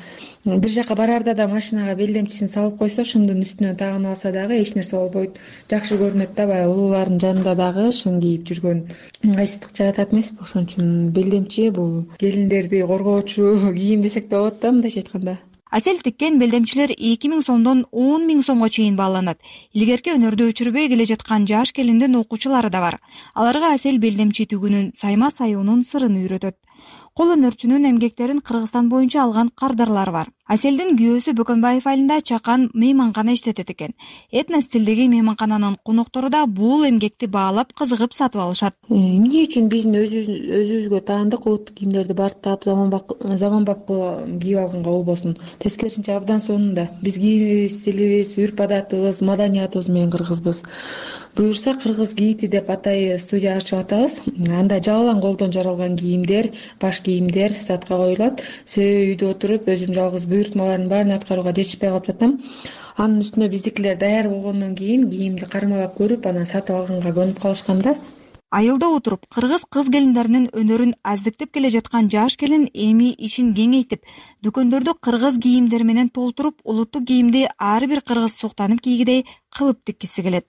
бир жака бараарда да машинага белдемчисин салып койсо, шымдын үстүнөн тагынып алса дагы эч нерсе болбойт. Жакшы көрүнөт да, баягы улуулардын жанында дагы шын кийип жүргөн ыңгайсыздык жаратат эмеспи? Ошон үчүн белдемчи бул келиндерди коргоочу кийим десек да болот да, мындайча айтканда. Асель тиккен белдемчилер эки миң сомдон он миң сомго чейин бааланат. Илгерки өнөрдү өчүрбөй келе жаткан жаш келиндин окуучулары да бар. Аларга Асель белдемчи тигүүнүн, сайма саюунун сырын үйрөтөт. Кол өнөрчүнүн эмгектерин Кыргызстан боюнча алган кардарлары бар. Аселдин күйөөсү Бөкөнбаев айылында чакан мейманкана иштетет экен. Этнос стилдеги мейманкананын коноктору да бул эмгекти баалап кызыгып сатып алышат. Эмне үчүн биздин өзүбүзгө таандык улуттук кийимдерди барктап заманбап кийип алганга болбосун? Тескерисинче абдан сонунда. Биз кийимибиз, стилибиз, үрп адатыбыз, маданиятыбыз менен кыргызбыз. Буюрса кыргыз кийити деп атайы студия ачып атабыз. Анда жалалан колдон жаралган кийимдер, баш кийимдер сатка коюлат. Себеби үйдө отуруп өзүм жалгыз буйртмалардын баарын аткарууга жетишпей калып жатам. Анын үстүнө биздикилер даяр болгондон кийин кийимди кармалап көрүп, анан сатып алганга көнүп калышкан да. Айылда отуруп кыргыз кыз келиндеринин өнөрүн аздыктеп келе жаткан жаш келин эми ишин кеңейтип, дүкөндөрдү кыргыз кийимдери менен толтуруп, улуттук кийимди ар бир кыргыз суктанып кийгидей кылып тиккиси келет.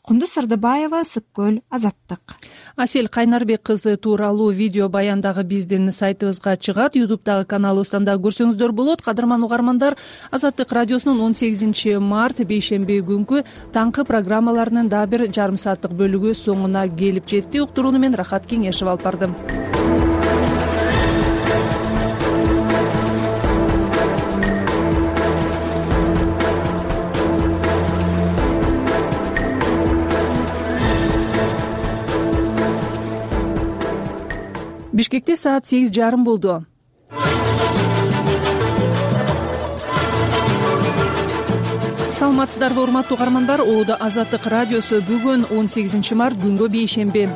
Кундуз Сырдыбаева, Сыккөл, Азаттык. Асел Кайнарбек кызы тууралуу видео баян дагы биздин сайтыбызга чыгат. Ютубтагы каналыбыздан да көрсөңүздөр болот. Кадырман угармандар, Азаттык радиосунун он сегизинчи март бейшемби күнкү таңкы программаларынын дагы бир жарым сааттык бөлүгү соңуна келип жетти. Уктурууну мен Рахат Кеңешев алып бардым. Бишкекте саат сегиз жарым болду. Саламатсыздарбы, урматтуу угармандар. Оодо Азаттык радиосу бүгүн он сегизинчи март күнгө бейшемби.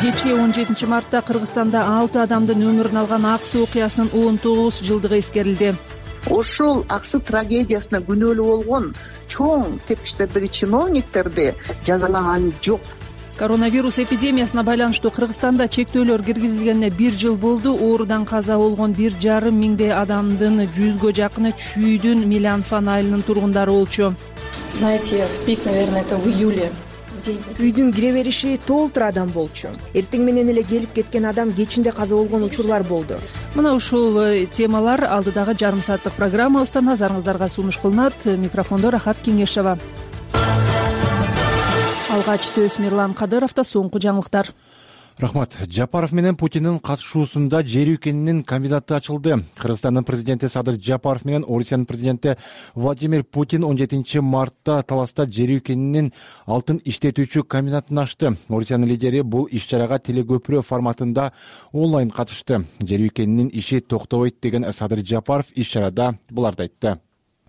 Кечээ он жетинчи мартта Кыргызстанда алты адамдын өмүрүн алган Аксы окуясынын он тогуз жылдыгы эскерилди. Ошол Аксы трагедиясына күнөөлүү болгон чоң тепкичтердеги чиновниктерди жазалаган жок. Коронавирус эпидемиясына байланыштуу Кыргызстанда чектөөлөр киргизилгенине бир жыл болду. Оорудан каза болгон бир жарым миңдей адамдын жүзгө жакыны Чүйдүн Милянфан айылынын тургундары болчу. Знаете, в пик, наверное, это в июле. Үйдүн кире бериши толтур адам болчу. Эртең менен эле келип кеткен адам кечинде каза болгон учурлар болду. Мына ушул темалар алдыдагы жарым сааттык программабызда назарыңыздарга сунуш кылынат. Микрофондо Рахат Кеңешева. Алгач сөз Мирлан Кадыровдо, соңку жаңылыктар. Рахмат. Жапаров менен Путиндин катышуусунда жер өлкөнүн кандидаты ачылды. Кыргызстандын президенти Садыр Жапаров менен Орусиянын президенти Владимир Путин он жетинчи мартта Таласта жер өлкөнүн алтын иштетүүчү комбинатын ачты. Орусиянын лидери бул иш-чарага телекөпүрө форматында онлайн катышты. Жер өлкөнүн иши токтобойт деген Садыр Жапаров иш-чарада буларды айтты.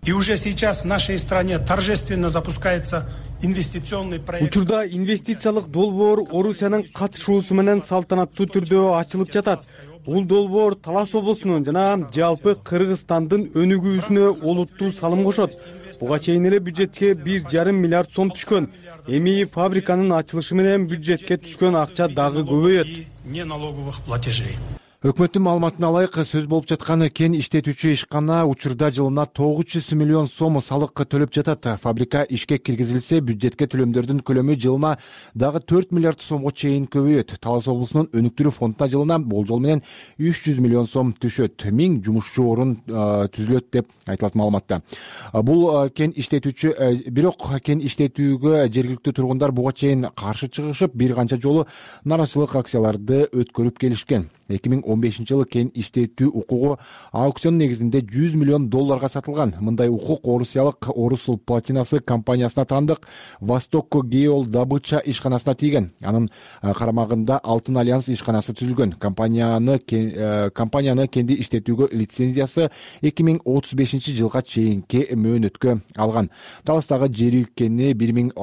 И уже сейчас в нашей стране торжественно запускается инвестиционный проект. Учурда инвестициялык долбоор Орусиянын катышуусу менен салтанаттуу түрдө ачылып жатат. Бул долбоор Талас облусунун жана жалпы Кыргызстандын өнүгүүсүнө олуттуу салым кошот. Буга чейин эле бюджетке бир жарым миллиард сом түшкөн. Эми фабриканын ачылышы менен бюджетке түшкөн акча дагы көбөйөт. Неналоговых платежей. Өкмөттүн маалыматына ылайык, сөз болуп жаткан кен иштетүүчү ишкана учурда жылына тогуз жүз миллион сом салык төлөп жатат. Фабрика ишке киргизилсе, бюджетке төлөмдөрдүн көлөмү жылына дагы төрт миллиард сомго чейин көбөйөт. Талас облусунун өнүктүрүү фондуна жылына болжол менен үч жүз миллион сом түшөт. миң жумушчу орун түзүлөт деп айтылат маалыматта. Бул кен иштетүүчү, бирок кен иштетүүгө жергиликтүү тургундар буга чейин каршы чыгышып, бир канча жолу нааразычылык акцияларды өткөрүп келишкен. эки миң он бешинчи жылы кен иштетүү укугу аукцион негизинде жүз миллион долларга сатылган. Мындай укук орусиялык Орусул платинасы компаниясына таандык Восток Геол Добыча ишканасына тийген. Анын карамагында Алтын альянс ишканасы түзүлгөн. Компанияны компанияны кенди иштетүүгө лицензиясы эки миң отуз бешинчи жылга чейинки мөөнөткө алган. Таластагы жер өлкөнү бир миң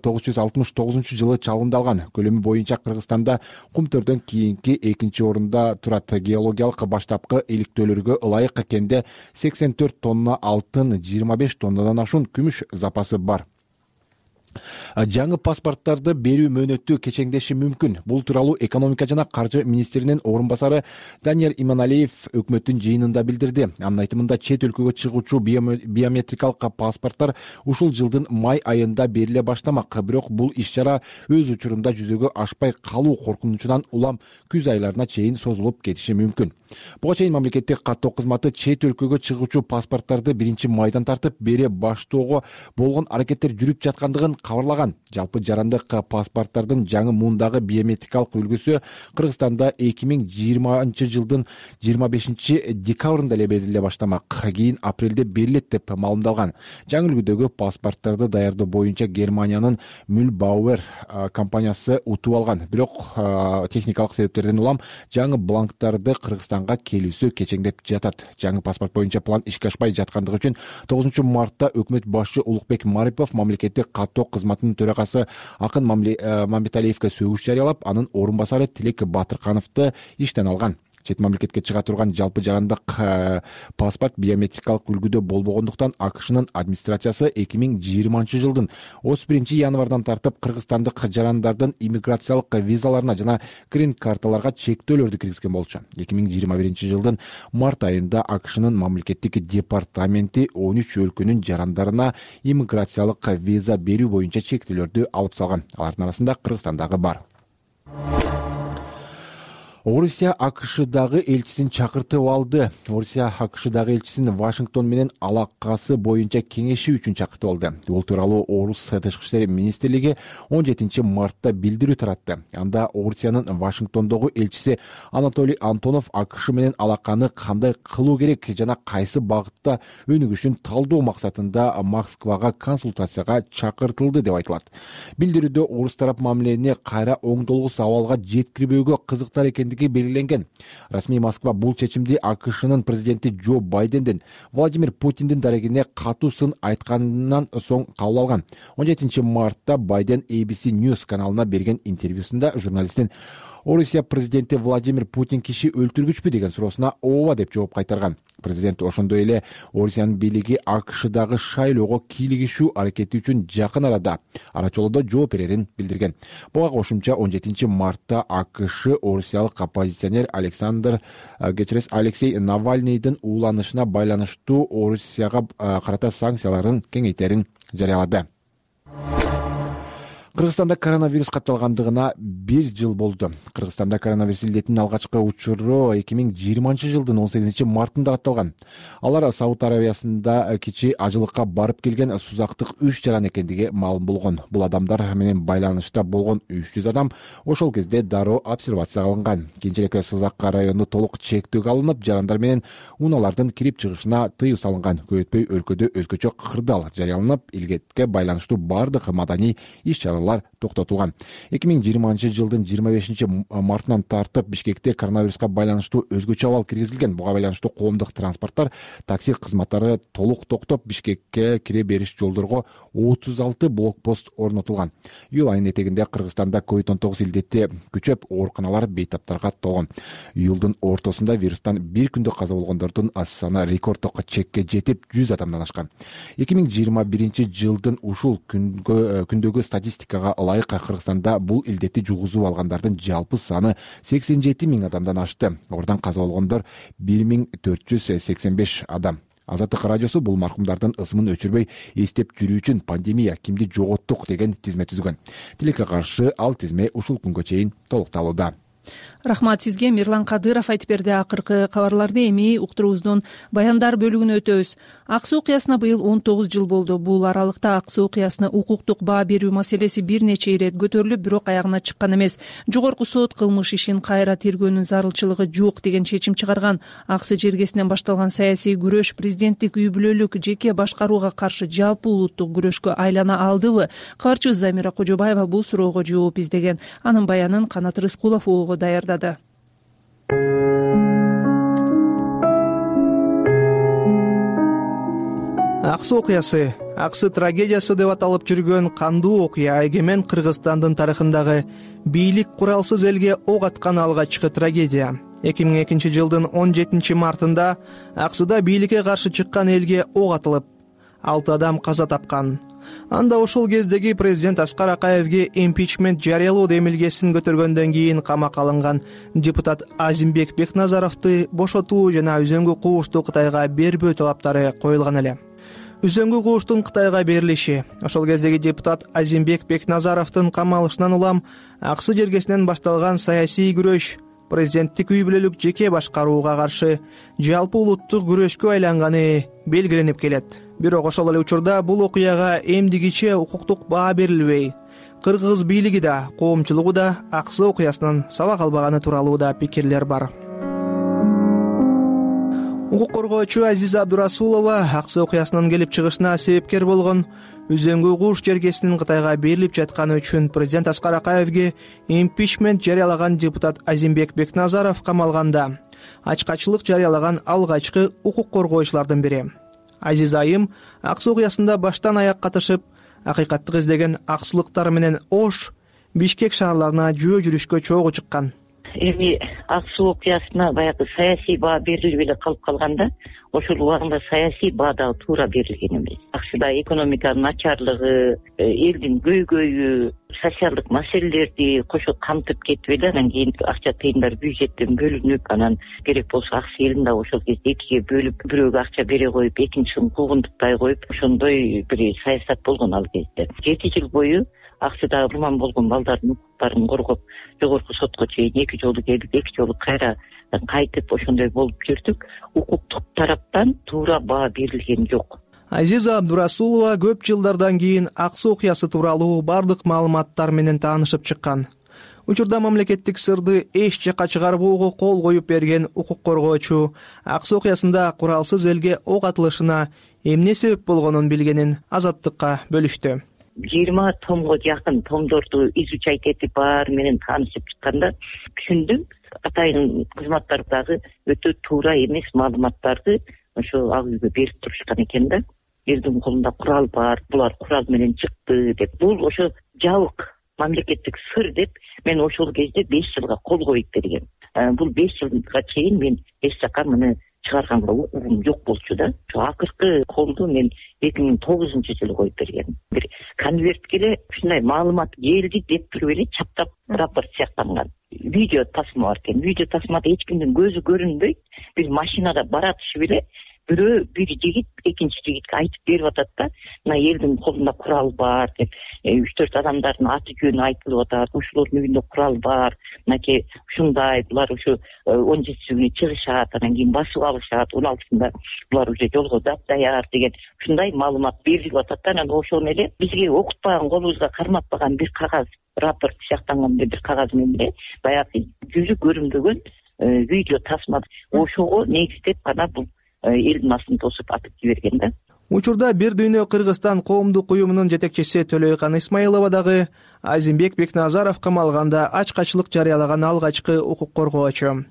тогуз жүз алтымыш тогузунчу жылы чалгындалган. Көлөмү боюнча Кыргызстанда кумтөрдөн кийинки экинчи орунда турат. Геологиялык баштапкы иликтөөлөргө ылайык кенде сексен төрт тонна алтын, жыйырма беш тоннадан ашуун күмүш запасы бар. Жаңы паспорттарды берүү мөөнөтү кечеңдеши мүмкүн. Бул тууралуу экономика жана каржы министринин орун басары Данияр Иманалиев өкмөттүн жыйынында билдирди. Анын айтымында чет өлкөгө чыгуучу биометрикалык паспорттор ушул жылдын май айында бериле баштамак. Бирок бул иш-чара өз учурунда жүзөгө ашпай калуу коркунучунан улам күз айларына чейин созулуп кетиши мүмкүн. Буга чейин мамлекеттик каттоо кызматы чет өлкөгө чыгуучу паспортторду биринчи майдан тартып бере баштоого болгон аракеттер жүрүп жаткандыгын кабарлаган. Жалпы жарандык паспорттардын жаңы муундагы биометрикалык үлгүсү Кыргызстанда эки миң жыйырманчы жылдын жыйырма бешинчи декабрында эле бериле баштамак, кийин апрелде берилет деп маалымдалган. Жаңы үлгүдөгү паспорттарды даярдоо боюнча Германиянын Mühlbauer компаниясы утуп алган. Бирок техникалык себептерден улам жаңы бланктарды Кыргызстанга келүүсү кечеңдеп жатат. Жаңы паспорт боюнча план ишке ашпай жаткандыгы үчүн тогузунчу мартта өкмөт башчы Улукбек Марипов мамлекеттик каттоо кызматынын төрагасы Акын Мамбеталиевге сөгүш жарыялап, анын орун басары Тилек Батыркановду иштен алган. Чет мамлекетке чыга турган жалпы жарандык паспорт биометрикалык үлгүдө болбогондуктан АКШнын администрациясы эки миң жыйырманчы жылдын отуз биринчи январдан тартып кыргызстандык жарандардын иммиграциялык визаларына жана грин карталарга чектөөлөрдү киргизген болчу. эки миң жыйырма биринчи жылдын март айында АКШнын мамлекеттик департаменти он үч өлкөнүн жарандарына иммиграциялык виза берүү боюнча чектөөлөрдү алып салган. Алардын арасында Кыргызстандагы бар. Орусия АКШдагы элчисин чакыртып алды. Орусия АКШдагы элчисин Вашингтон менен алакасы боюнча кеңеши үчүн чакыртып алды. Бул тууралуу Орус тышкы иштер министрлиги он жетинчи мартта билдирүү таратты. Анда Орусиянын Вашингтондогу элчиси Анатолий Антонов АКШ менен алаканы кандай кылуу керек жана кайсы багытта өнүгүшүн талдоо максатында Москвага консультацияга чакыртылды деп айтылат. Билдирүүдө орус тарап мамилени кайра оңдолгус абалга жеткирбөөгө кызыктар экен белгиленген. Расмий Москва бул чечимди АКШнын президенти Джо Байденден Владимир Путиндин дарегине катуу сын айткандан соң кабыл алган. он жетинчи мартта Байден A B C News каналына берген интервьюсунда журналисттин Орусия президенти Владимир Путин киши өлтүргүчпү деген суроосуна ооба деп жооп кайтарган. Президент ошондой эле Орусиянын бийлиги АКШдагы шайлоого кийлигишүү аракети үчүн жакын арада арачолоодо жооп берерин билдирген. Буга кошумча он жетинчи мартта АКШ орусиялык оппозиционер Александр Гечерес Алексей Навальныйдын ууланышына байланыштуу Орусияга карата санкцияларын кеңейтерин жарыялады. Кыргызстанда коронавирус катталгандыгына бир жыл болду. Кыргызстанда коронавирус илдетинин алгачкы учуру эки миң жыйырманчы жылдын он сегизинчи мартында катталган. Алар Сауд Арабиясында кичи ажылыкка барып келген сузактык үч жаран экендиги маалым болгон. Бул адамдар менен байланышта болгон үч жүз адам ошол кезде дароо обсервацияга алынган. Кийинчерээк Сузак району толук чектөөгө алынып, жарандар менен унаалардын кирип чыгышына тыюу салынган. Көп өтпөй өлкөдө өзгөчө кырдаал жарыяланып, илгетке байланыштуу бардык маданий иш-чаралар токтотулган. эки миң жыйырманчы жылдын жыйырма бешинчи мартынан тартып Бишкекте коронавируска байланыштуу өзгөчө абал киргизилген. Буга байланыштуу коомдук транспорттор, такси кызматтары толук токтоп, Бишкекке кире бериш жолдорго отуз алты блокпост орнотулган. Июль айынын этегинде Кыргызстанда ковид он тогуз илдети күчөп, ооруканалар бейтаптарга толгон. Июлдун ортосунда вирустан бир күндө каза болгондордун саны рекорддук чекке жетип жүз адамдан ашкан. эки миң жыйырма биринчи жылдын ушул күндөгү статистикага ылайык Кыргызстанда бул илдетти жугузуп алгандардын жалпы саны сексен жети миң адамдан ашты. Ордан каза болгондор бир миң төрт жүз сексен беш адам. Азаттык радиосу бул маркумдардын ысымын өчүрбөй эстеп жүрүү үчүн пандемия кимди жоготтук деген тизме түзгөн. Тилекке каршы ал тизме ушул күнгө чейин толукталууда. Рахмат сизге. Мирлан Кадыров айтып берди. Акыркы кабарларды эми уктуруубуздун баяндар бөлүгүнө өтөбүз. Аксы окуясына быйыл он тогуз жыл болду. Бул аралыкта Аксы окуясына укуктук баа берүү маселеси бир нече ирет көтөрүлүп, бирок аягына чыккан эмес. Жогорку сот кылмыш ишин кайра тергөөнүн зарылчылыгы жок деген чечим чыгарган. Аксы жергесинен башталган саясий күрөш президенттик үй бүлөлүк жеке башкарууга каршы жалпы улуттук күрөшкө айлана алдыбы? Кабарчыбыз Замира Кожобаева бул суроого жооп издеген. Анын баянын Канат Рыскулов ого даярдады. Аксы окуясы, Аксы трагедиясы деп аталып жүргөн кандуу окуя эгемен Кыргызстандын тарыхындагы бийлик куралсыз элге ок аткан алгачкы трагедия. эки миң экинчи жылдын он жетинчи мартында Аксыда бийликке каршы чыккан элге ок атылып, алты адам каза тапкан. Анда ошол кездеги президент Аскар Акаевге импичмент жарыялоо демилгесин көтөргөндөн кийин камакка алынган депутат Азимбек Бекназаровду бошотуу жана үзөңгү куушту Кытайга бербөө талаптары коюлган эле. Үзөңгү кууштун Кытайга берилиши, ошол кездеги депутат Азимбек Бекназаровдун камалышынан улам Аксы жергесинен башталган саясий күрөш президенттик үй бүлөлүк жеке башкарууга каршы жалпы улуттук күрөшкө айланганы белгиленип келет. Бирок ошол эле учурда бул окуяга эмдигиче укуктук баа берилбей, кыргыз бийлиги да, коомчулугу да аксы окуясынан сабак албаганы тууралуу да пикирлер бар. Укук коргоочу Азиза Абдурасулова аксы окуясынын келип чыгышына себепкер болгон Үзөңгү куш жергесинин Кытайга берилип жатканы үчүн президент Аскар Акаевге импичмент жарыялаган депутат Азимбек Бекназаров камалганда ачкачылык жарыялаган алгачкы укук коргоочулардын бири. Азиза айым аксы окуясында баштан аяк катышып, акыйкаттык издеген аксылыктар менен Ош, Бишкек шаарларына жөө жүрүшкө чогуу чыккан. Эми аксы окуясына баягы саясий баа берилбей эле калып калганда, ошол убагында саясий баа дагы туура берилген эмес. Акшыда экономиканын начарлыгы, элдин көйгөйү, социалдык маселелерди кошо камтып кетип эле, анан кийин акча тыйындар бюджеттен бөлүнүп, анан керек болсо аксы элин дагы ошол кезде экиге бөлүп, бирөөгө акча бере коюп, экинчисин куугунтуктай коюп, ошондой бир саясат болгон ал кезде. Жети жыл бою аксыда урман болгон балдардын укуктарын коргоп, жогорку сотко чейин эки жолу келип, эки жолу кайра кайтып ошондой болуп жүрдүк. Укуктук тараптан туура баа берилген жок. Азиза Абдурасулова көп жылдардан кийин аксы окуясы тууралуу бардык маалыматтар менен таанышып чыккан. Учурда мамлекеттик сырды эч жакка чыгарбоого кол коюп берген укук коргоочу аксы окуясында куралсыз элге ок атылышына эмне себеп болгонун билгенин Азаттыкка бөлүштү. жыйырма томго жакын томдорду изучать этип баар менен таанышып чыкканда түшүндүм, атайын кызматтар дагы өтө туура эмес маалыматтарды ошо ак үйгө берип турушкан экен да. Элдин колунда курал бар, булар курал менен чыкты деп. Бул ошо жабык мамлекеттик сыр деп мен ошол кезде беш жылга кол коюп бергем. Бул беш жылга чейин мен эч жака муну чыгарганга укугум жок болчу да. Ошо акыркы колду мен эки миң тогузунчу жылы коюп бергем. Бир конвертке эле ушундай маалымат келди деп туруп эле чаптап рапорт сыяктанган. Видео тасма бар экен. Видео тасмада эч кимдин көзү көрүнбөйт. Бир машинада баратышып эле бирөө бир жигит экинчи жигитке айтып берип атат да, мына элдин колунда курал бар деп, үч төрт адамдардын аты жөнү айтылып атат, ушулордун үйүндө курал бар, мынакей ушундай, булар ушу он жетинчи күнү чыгышат, анан кийин басып алышат, он алтысында булар уже жолго даяр деген ушундай маалымат берилип атат да. Анан ошону эле бизге окутпаган, колубузга карматпаган бир кагаз, рапорт сыяктанган бир кагаз менен эле баягы жүзү көрүнбөгөн видео тасма ошого негиздеп гана бул элдин астын тосуп атып жиберген да. Учурда Бир дүйнө Кыргызстан коомдук уюмунун жетекчиси Төлөйкан Исмаилова дагы Азимбек Бекназаров камалганда ачкачылык жарыялаган алгачкы укук коргоочу.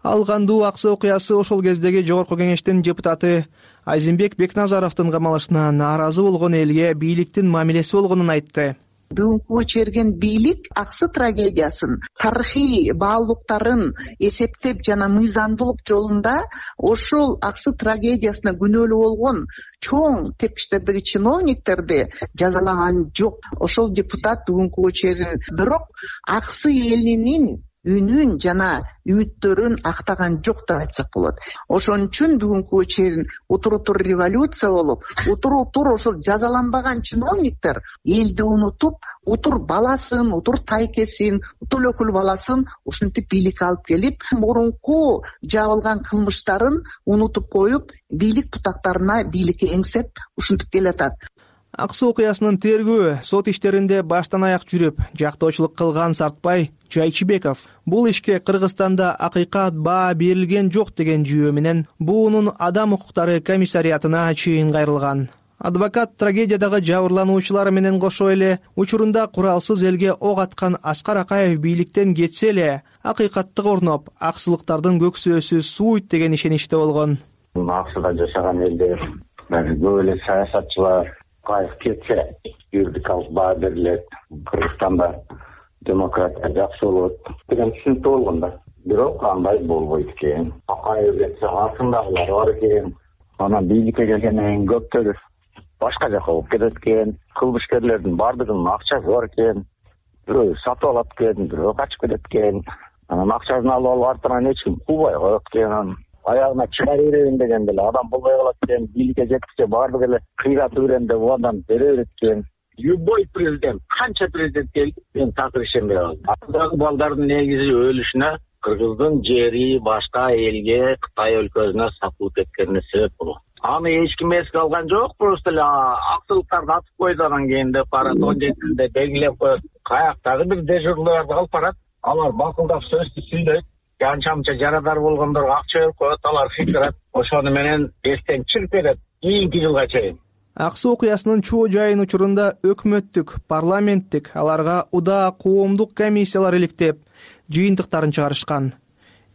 Ал кандуу аксы окуясы ошол кездеги жогорку кеңештин депутаты Азимбек Бекназаровдун камалышына нааразы болгон элге бийликтин мамилеси болгонун айтты. Бүгүнкү чейин бийлик аксы трагедиясын, тарыхый баалуулуктарын эсептеп жана мыйзамдуулук жолунда ошол аксы трагедиясына күнөөлүү болгон чоң тепкичтердеги чиновниктерди жазалаган жок. Ошол депутат бүгүнкү чейин бирок аксы элинин үнүн жана үмүттөрүн актаган жок деп айтсак болот. Ошон үчүн бүгүнкү чейин утур-утур революция болуп, утур-утур ошол жазаланбаган чиновниктер элди унутуп, утур баласын, утур тайкесин, утур өкүл баласын ушинтип бийликке алып келип, мурунку жабылган кылмыштарын унутуп коюп, бийлик бутактарына бийликке эңсеп ушинтип келатат. Аксы окуясынын тергөө сот иштеринде баштан аяк жүрүп, жактоочулук кылган Сартбай Жайчыбеков бул ишке Кыргызстанда акыйкат баа берилген жок деген жүйө менен буунун адам укуктары комиссариатына чейин кайрылган. Адвокат трагедиядагы жабырлануучулар менен кошо эле учурунда куралсыз элге ок аткан Аскар Акаев бийликтен кетсе эле акыйкаттык орноп, аксылыктардын көксөөсү сууйт деген ишеничте болгон. Аксыда жашаган элдер, көп эле саясатчылар Акаев кетсе, юридикалык баа берилет, Кыргызстанда демократия жакшы болот деген түшүнүктүү болгон да. Бирок андай болбойт экен. Акаев кетсе, артындагылар бар экен. Анан бийликке келгенден кийин көптөрү башка жака болуп кетет экен. Кылмышкерлердин бардыгынын акчасы бар экен. Бирөө сатып алат экен, бирөө качып кетет экен. Анан акчасын алып алып артынан эч ким куубай коет экен. Аягына чыгара берейин дегенде эле адам болбой калат экен. Бийликке жеткиче бардыгы эле кыйрат өрөндө бул адам бере берет экен. Любой президент, канча президент келди, мен такыр ишенбей калдым. Андагы балдардын негизи өлүшүнө Кыргыздын жери башка элге, Кытай өлкөсүнө сатылып кеткенине себеп болот. аны эч ким эске алган жок, просто эле акчылыктарды атып койду, анан кийин деп барат он жетинде белгилеп коет. Каяктагы бир дежурларды алып барат, алар бакылдап сөздү сүйлөйт, канча мынча жарадар болгондорго акча берип коет, алар кыйкырат, ошону менен эстен чырып берет кийинки жылга чейин. Ак суу окуясынын чоо жайын учурунда өкмөттүк, парламенттик, аларга удаа коомдук комиссиялар иликтеп, жыйынтыктарын чыгарышкан.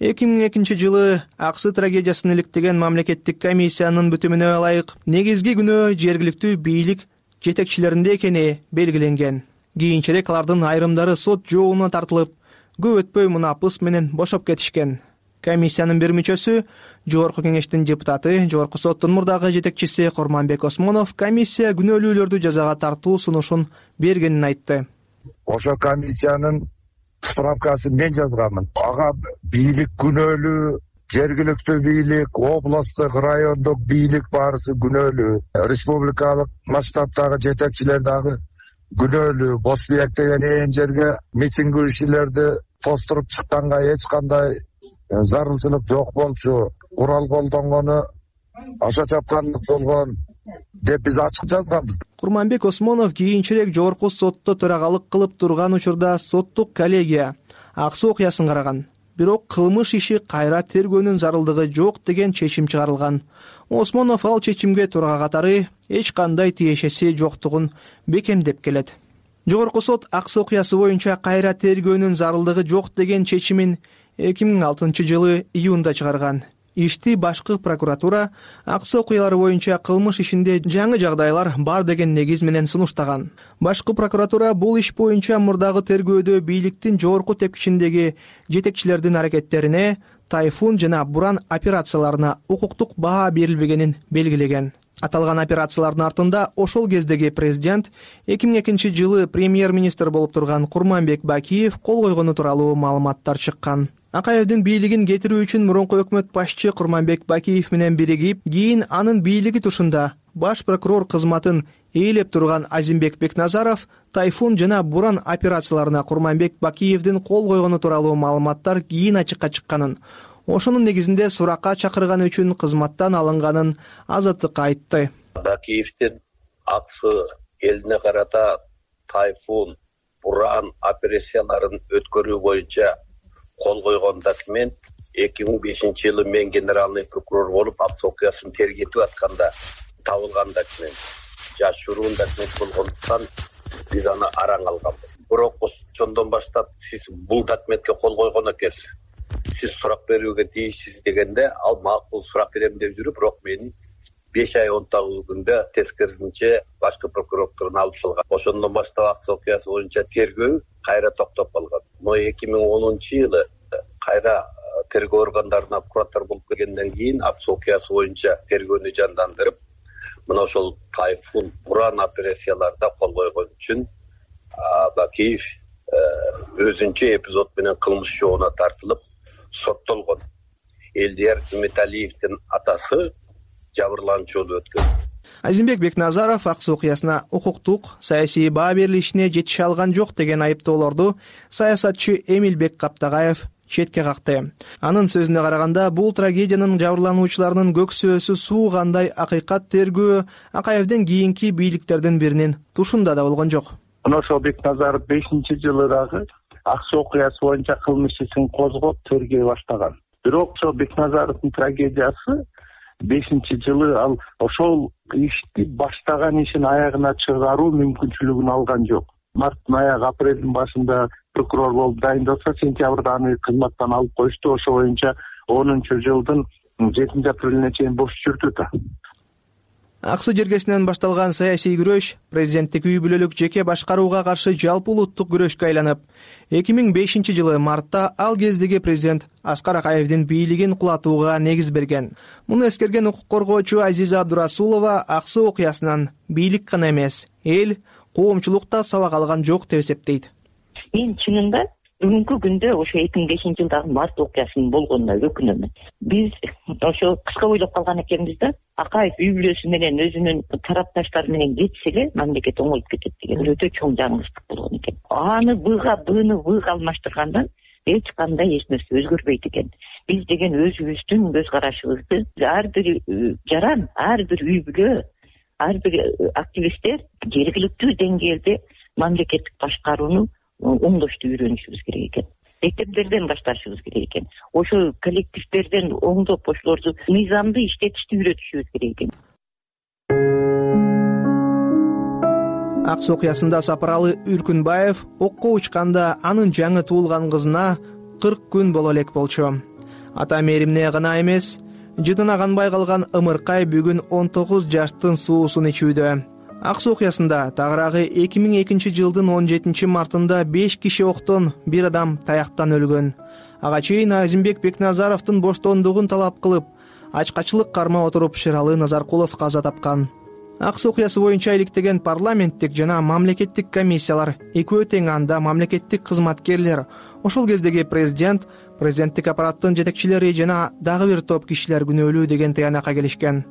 эки миң экинчи жылы Аксы трагедиясын иликтеген мамлекеттик комиссиянын бүтүмүнө ылайык негизги күнөө жергиликтүү бийлик жетекчилеринде экени белгиленген. Кийинчерээк алардын айрымдары сот жообуна тартылып, көп өтпөй мунапыс менен бошоп кетишкен. Комиссиянын бир мүчөсү, Жогорку кеңештин депутаты, Жогорку соттун мурдагы жетекчиси Курманбек Осмонов комиссия күнөөлүүлөрдү жазага тартуу сунушун бергенин айтты. Ошо комиссиянын справкасын мен жазганмын. Ага бийлик күнөөлүү, жергиликтүү бийлик, областтык, райондук бийлик баарысы күнөөлүү, республикалык масштабтагы жетекчилер дагы күнөөлүү. Босбиек деген ээн жерге митингдешилерди тостуруп чыкканга эч кандай зарылчылык жок болчу. Курал колдонгону аша чапкандык болгон деп биз ачык жазганбыз. Курманбек Осмонов кийинчерээк Жогорку сотто төрагалык кылып турган учурда соттук коллегия Ак суу окуясын караган. Бирок кылмыш иши кайра тергөөнүн зарылдыгы жок деген чечим чыгарылган. Осмонов ал чечимге турга катары эч кандай тиешеси жоктугун бекемдеп келет. Жогорку сот Ак суу окуясы боюнча кайра тергөөнүн зарылдыгы жок деген чечимин эки миң алтынчы жылы июнда чыгарган. Ишти башкы прокуратура Ак суу окуялары боюнча кылмыш ишинде жаңы жагдайлар бар деген негиз менен сунуштаган. Башкы прокуратура бул иш боюнча мурдагы тергөөдө бийликтин жогорку тепкичиндеги жетекчилердин аракеттерине, Тайфун жана Буран операцияларына укуктук баа берилбегенин белгилеген. Аталган операциялардын артында ошол кездеги президент эки миң экинчи жылы премьер-министр болуп турган Курманбек Бакиев кол койгону тууралуу маалыматтар чыккан. Акаевдин бийлигин кетирүү үчүн мурунку өкмөт башчы Курманбек Бакиев менен биригип, кийин анын бийлиги тушунда баш прокурор кызматын ээлеп турган Азимбек Бекназаров Тайфун жана Буран операцияларына Курманбек Бакиевдин кол койгону тууралуу маалыматтар кийин ачыкка чыкканын, ошонун негизинде суракка чакырган үчүн кызматтан алынганын Азаттыкка айтты. Бакиевдин Ак суу элине карата Тайфун, Буран операцияларын өткөрүү боюнча кол койгон документ эки миң бешинчи жылы мен генеральный прокурор болуп Ак суу окуясын тергетип атканда табылган документ. Жашыруун документ болгондуктан биз аны араң алганбыз. Бирок ошондон баштап сиз бул документке кол койгон экенсиз, сиз сурак берүүгө тийишсиз дегенде, ал макул сурак берем деп жүрүп, бирок мени беш ай он тогуз күндө тескерисинче башкы прокуратурадан алып чыгылган. Ошондон баштап Ак суу окуясы боюнча тергөө кайра токтоп калган. Но эки миң онунчу жылы кайра тергөө органдарына прокурор болуп келгенден кийин Ак суу окуясы боюнча тергөөнү жандандырып, мына ошол Тайфун, Буран операцияларда кол койгон үчүн Бакиев өзүнчө эпизод менен кылмыш жообуна тартылып соттолгон. Элдияр Үмүталиевдин атасы жабырлануучу өткөн. Азимбек Бекназаров Ак суу окуясына укуктук, саясий баа берилишине жетише алган жок деген айыптоолорду саясатчы Эмилбек Каптагаев четке какты. Анын сөзүнө караганда, бул трагедиянын жабырлануучуларынын көксөөсү суугандай акыйкат тергөө Акаевдин кийинки бийликтердин биринин тушунда да болгон жок. Ошол Бекназаров бешинчи жылы дагы Ак суу окуясы боюнча кылмыш ишин козгоп тергөө баштаган. Бирок ошол Бекназаровдун трагедиясы бешинчи жылы ал ошол ишти баштаган ишин аягына чыгаруу мүмкүнчүлүгүн алган жок. Марттын аягы, апрелдин башында прокурор болуп дайындалса, сентябрда аны кызматтан алып коюшту. Ошо боюнча онунчу жылдын жетинчи апрелине чейин бош жүрдү да. Ак суу жергесинен башталган саясий күрөш президенттик үй бүлөлүк жеке башкарууга каршы жалпы улуттук күрөшкө айланып, эки миң бешинчи жылы мартта ал кездеги президент Аскар Акаевдин бийлигин кулатууга негиз берген. Муну эскерген укук коргоочу Азиза Абдурасулова Ак суу окуясынан бийлик гана эмес, эл, коомчулук да сабак алган жок деп эсептейт. Мен чынында бүгүнкү күндө ошо эки миң бешинчи жылдагы март окуясынын болгонуна өкүнөмүн. Биз ошо кыска ойлоп калган экенбиз да, Акаев үй бүлөсү менен өзүнүн тарапташтары менен кетсе эле мамлекет оңоюп кетет деген өтө чоң жаңылыштык болгон экен. Аны быга, быны быга алмаштыргандан эч кандай эч нерсе өзгөрбөйт экен. биз деген өзүбүздүн көз карашыбызды ар бир жаран, ар бир үй бүлө, ар бир активисттер жергиликтүү деңгээлде мамлекеттик башкарууну оңдошту үйрөнүшүбүз керек экен. Мектептерден башташыбыз керек экен. Ошо коллективдерден оңдоп ошолорду мыйзамды иштетишти үйрөтүшүбүз керек экен. ак суу окуясында Сапаралы Үркүнбаев окко учканда анын жаңы туулган кызына кырк күн боло элек болчу. Ата мээримне гана эмес, жытына канбай калган ымыркай бүгүн он тогуз жаштын суусун ичүүдө. ак суу окуясында тагыраагы эки миң экинчи жылдын он жетинчи мартында беш киши октон, бир адам таяктан өлгөн. Ага чейин Азимбек Бекназаровдун боштондугун талап кылып, ачкачылык кармап отуруп Шералы Назаркулов каза тапкан. ак суу окуясы боюнча иликтеген парламенттик жана мамлекеттик комиссиялар экөө тең анда мамлекеттик кызматкерлер, ошол кездеги президент, президенттик аппараттын жетекчилери жана дагы бир топ кишилер күнөөлүү деген тыянакка келишкен.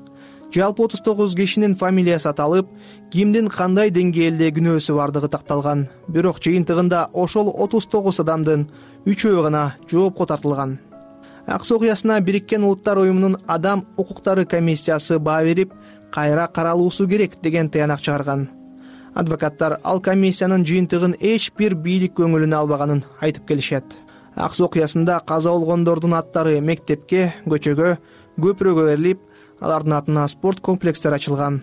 Жалпы отуз тогуз кишинин фамилиясы аталып, кимдин кандай деңгээлде күнөөсү бардыгы такталган. Бирок жыйынтыгында ошол отуз тогуз адамдын үчөө гана жоопко тартылган. ак суу окуясына Бириккен Улуттар уюмунун адам укуктары комиссиясы баа берип, кайра каралуусу керек деген тыянак чыгарган. Адвокаттар ал комиссиянын жыйынтыгын эч бир бийлик көңүлүнө албаганын айтып келишет. ак суу окуясында каза болгондордун аттары мектепке, көчөгө, көпүрөгө берилип, алардын атына спорт комплекстери ачылган.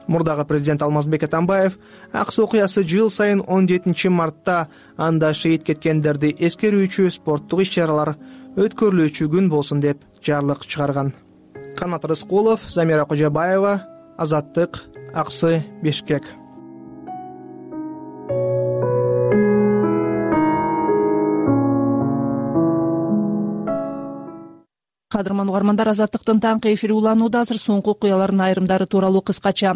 Мурдагы президент Алмазбек Атамбаев ак суу окуясы жыл сайын он жетинчи мартта анда шейит кеткендерди эскерүүчү спорттук иш-чаралар өткөрүлүүчү күн болсун деп жарлык чыгарган. Канат Рыскулов, Замира Кожобаева, Азаттык, Аксы, Бишкек. Кадырман угармандар, Азаттыктын таңкы эфири уланууда. Азыр соңку окуялардын айрымдары тууралуу кыскача.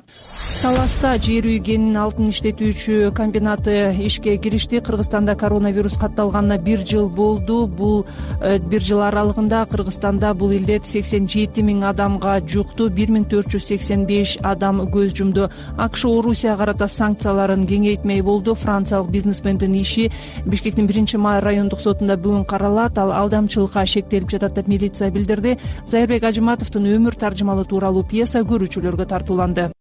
Таласта жер үй кенин алтын иштетүүчү комбинаты ишке киришти. Кыргызстанда коронавирус катталганына бир жыл болду. Бул бир жыл аралыгында Кыргызстанда бул илдет сексен жети миң адамга жукту, бир миң төрт жүз сексен беш адам көз жумду. АКШ Орусияга карата санкцияларын кеңейтмей болду. Франциялык бизнесмендин иши Бишкектин биринчи май райондук сотунда бүгүн каралат. Ал алдамчылыкка шектелип жатат деп милиция билдирди. Зайырбек Ажыматовдун өмүр таржымалы тууралуу пьеса көрүүчүлөргө тартууланды.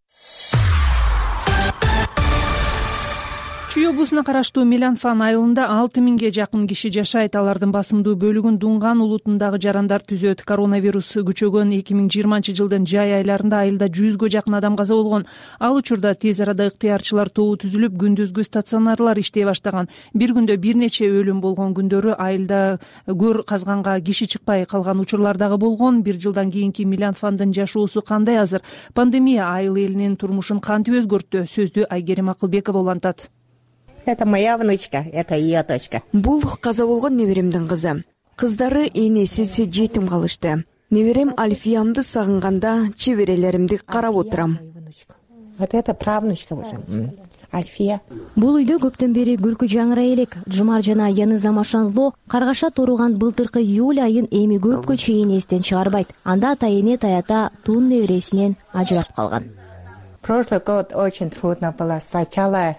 Чүй облусуна караштуу Меланфан айылында алты миңге жакын киши жашайт. Алардын басымдуу бөлүгүн Дунган улутундагы жарандар түзөт. Коронавирус күчөгөн эки миң жыйырманчы жылдын жай айларында айылда жүзгө жакын адам каза болгон. Ал учурда тез арада ыктыярчылар тобу түзүлүп, күндүзгү стационарлар иштей баштаган. Бир күндө бир нече өлүм болгон күндөрү айылда көр казганга киши чыкпай калган учурлар дагы болгон. Бир жылдан кийинки Меланфандын жашоосу кандай азыр? Пандемия айыл элинин турмушун кантип өзгөрттү? Сөздү Айгерим Акылбекова улантат. Это моя внучка, это ее дочка. Бул каза болгон неберемдин кызы. Кыздары энесиз жетим калышты. Неберем Альфиямды сагынганда чеберелеримди карап отурам. Вот это правнучка уже. Альфия. Бул үйдө көптөн бери күлкү жаңырай элек. Жумар жана Яныз Амашанло каргаша туруган былтыркы июль айын эми көпкө чейин эстен чыгарбайт. Анда ата эне таята тун небересинен ажырап калган. Прошлый год очень трудно было. Сначала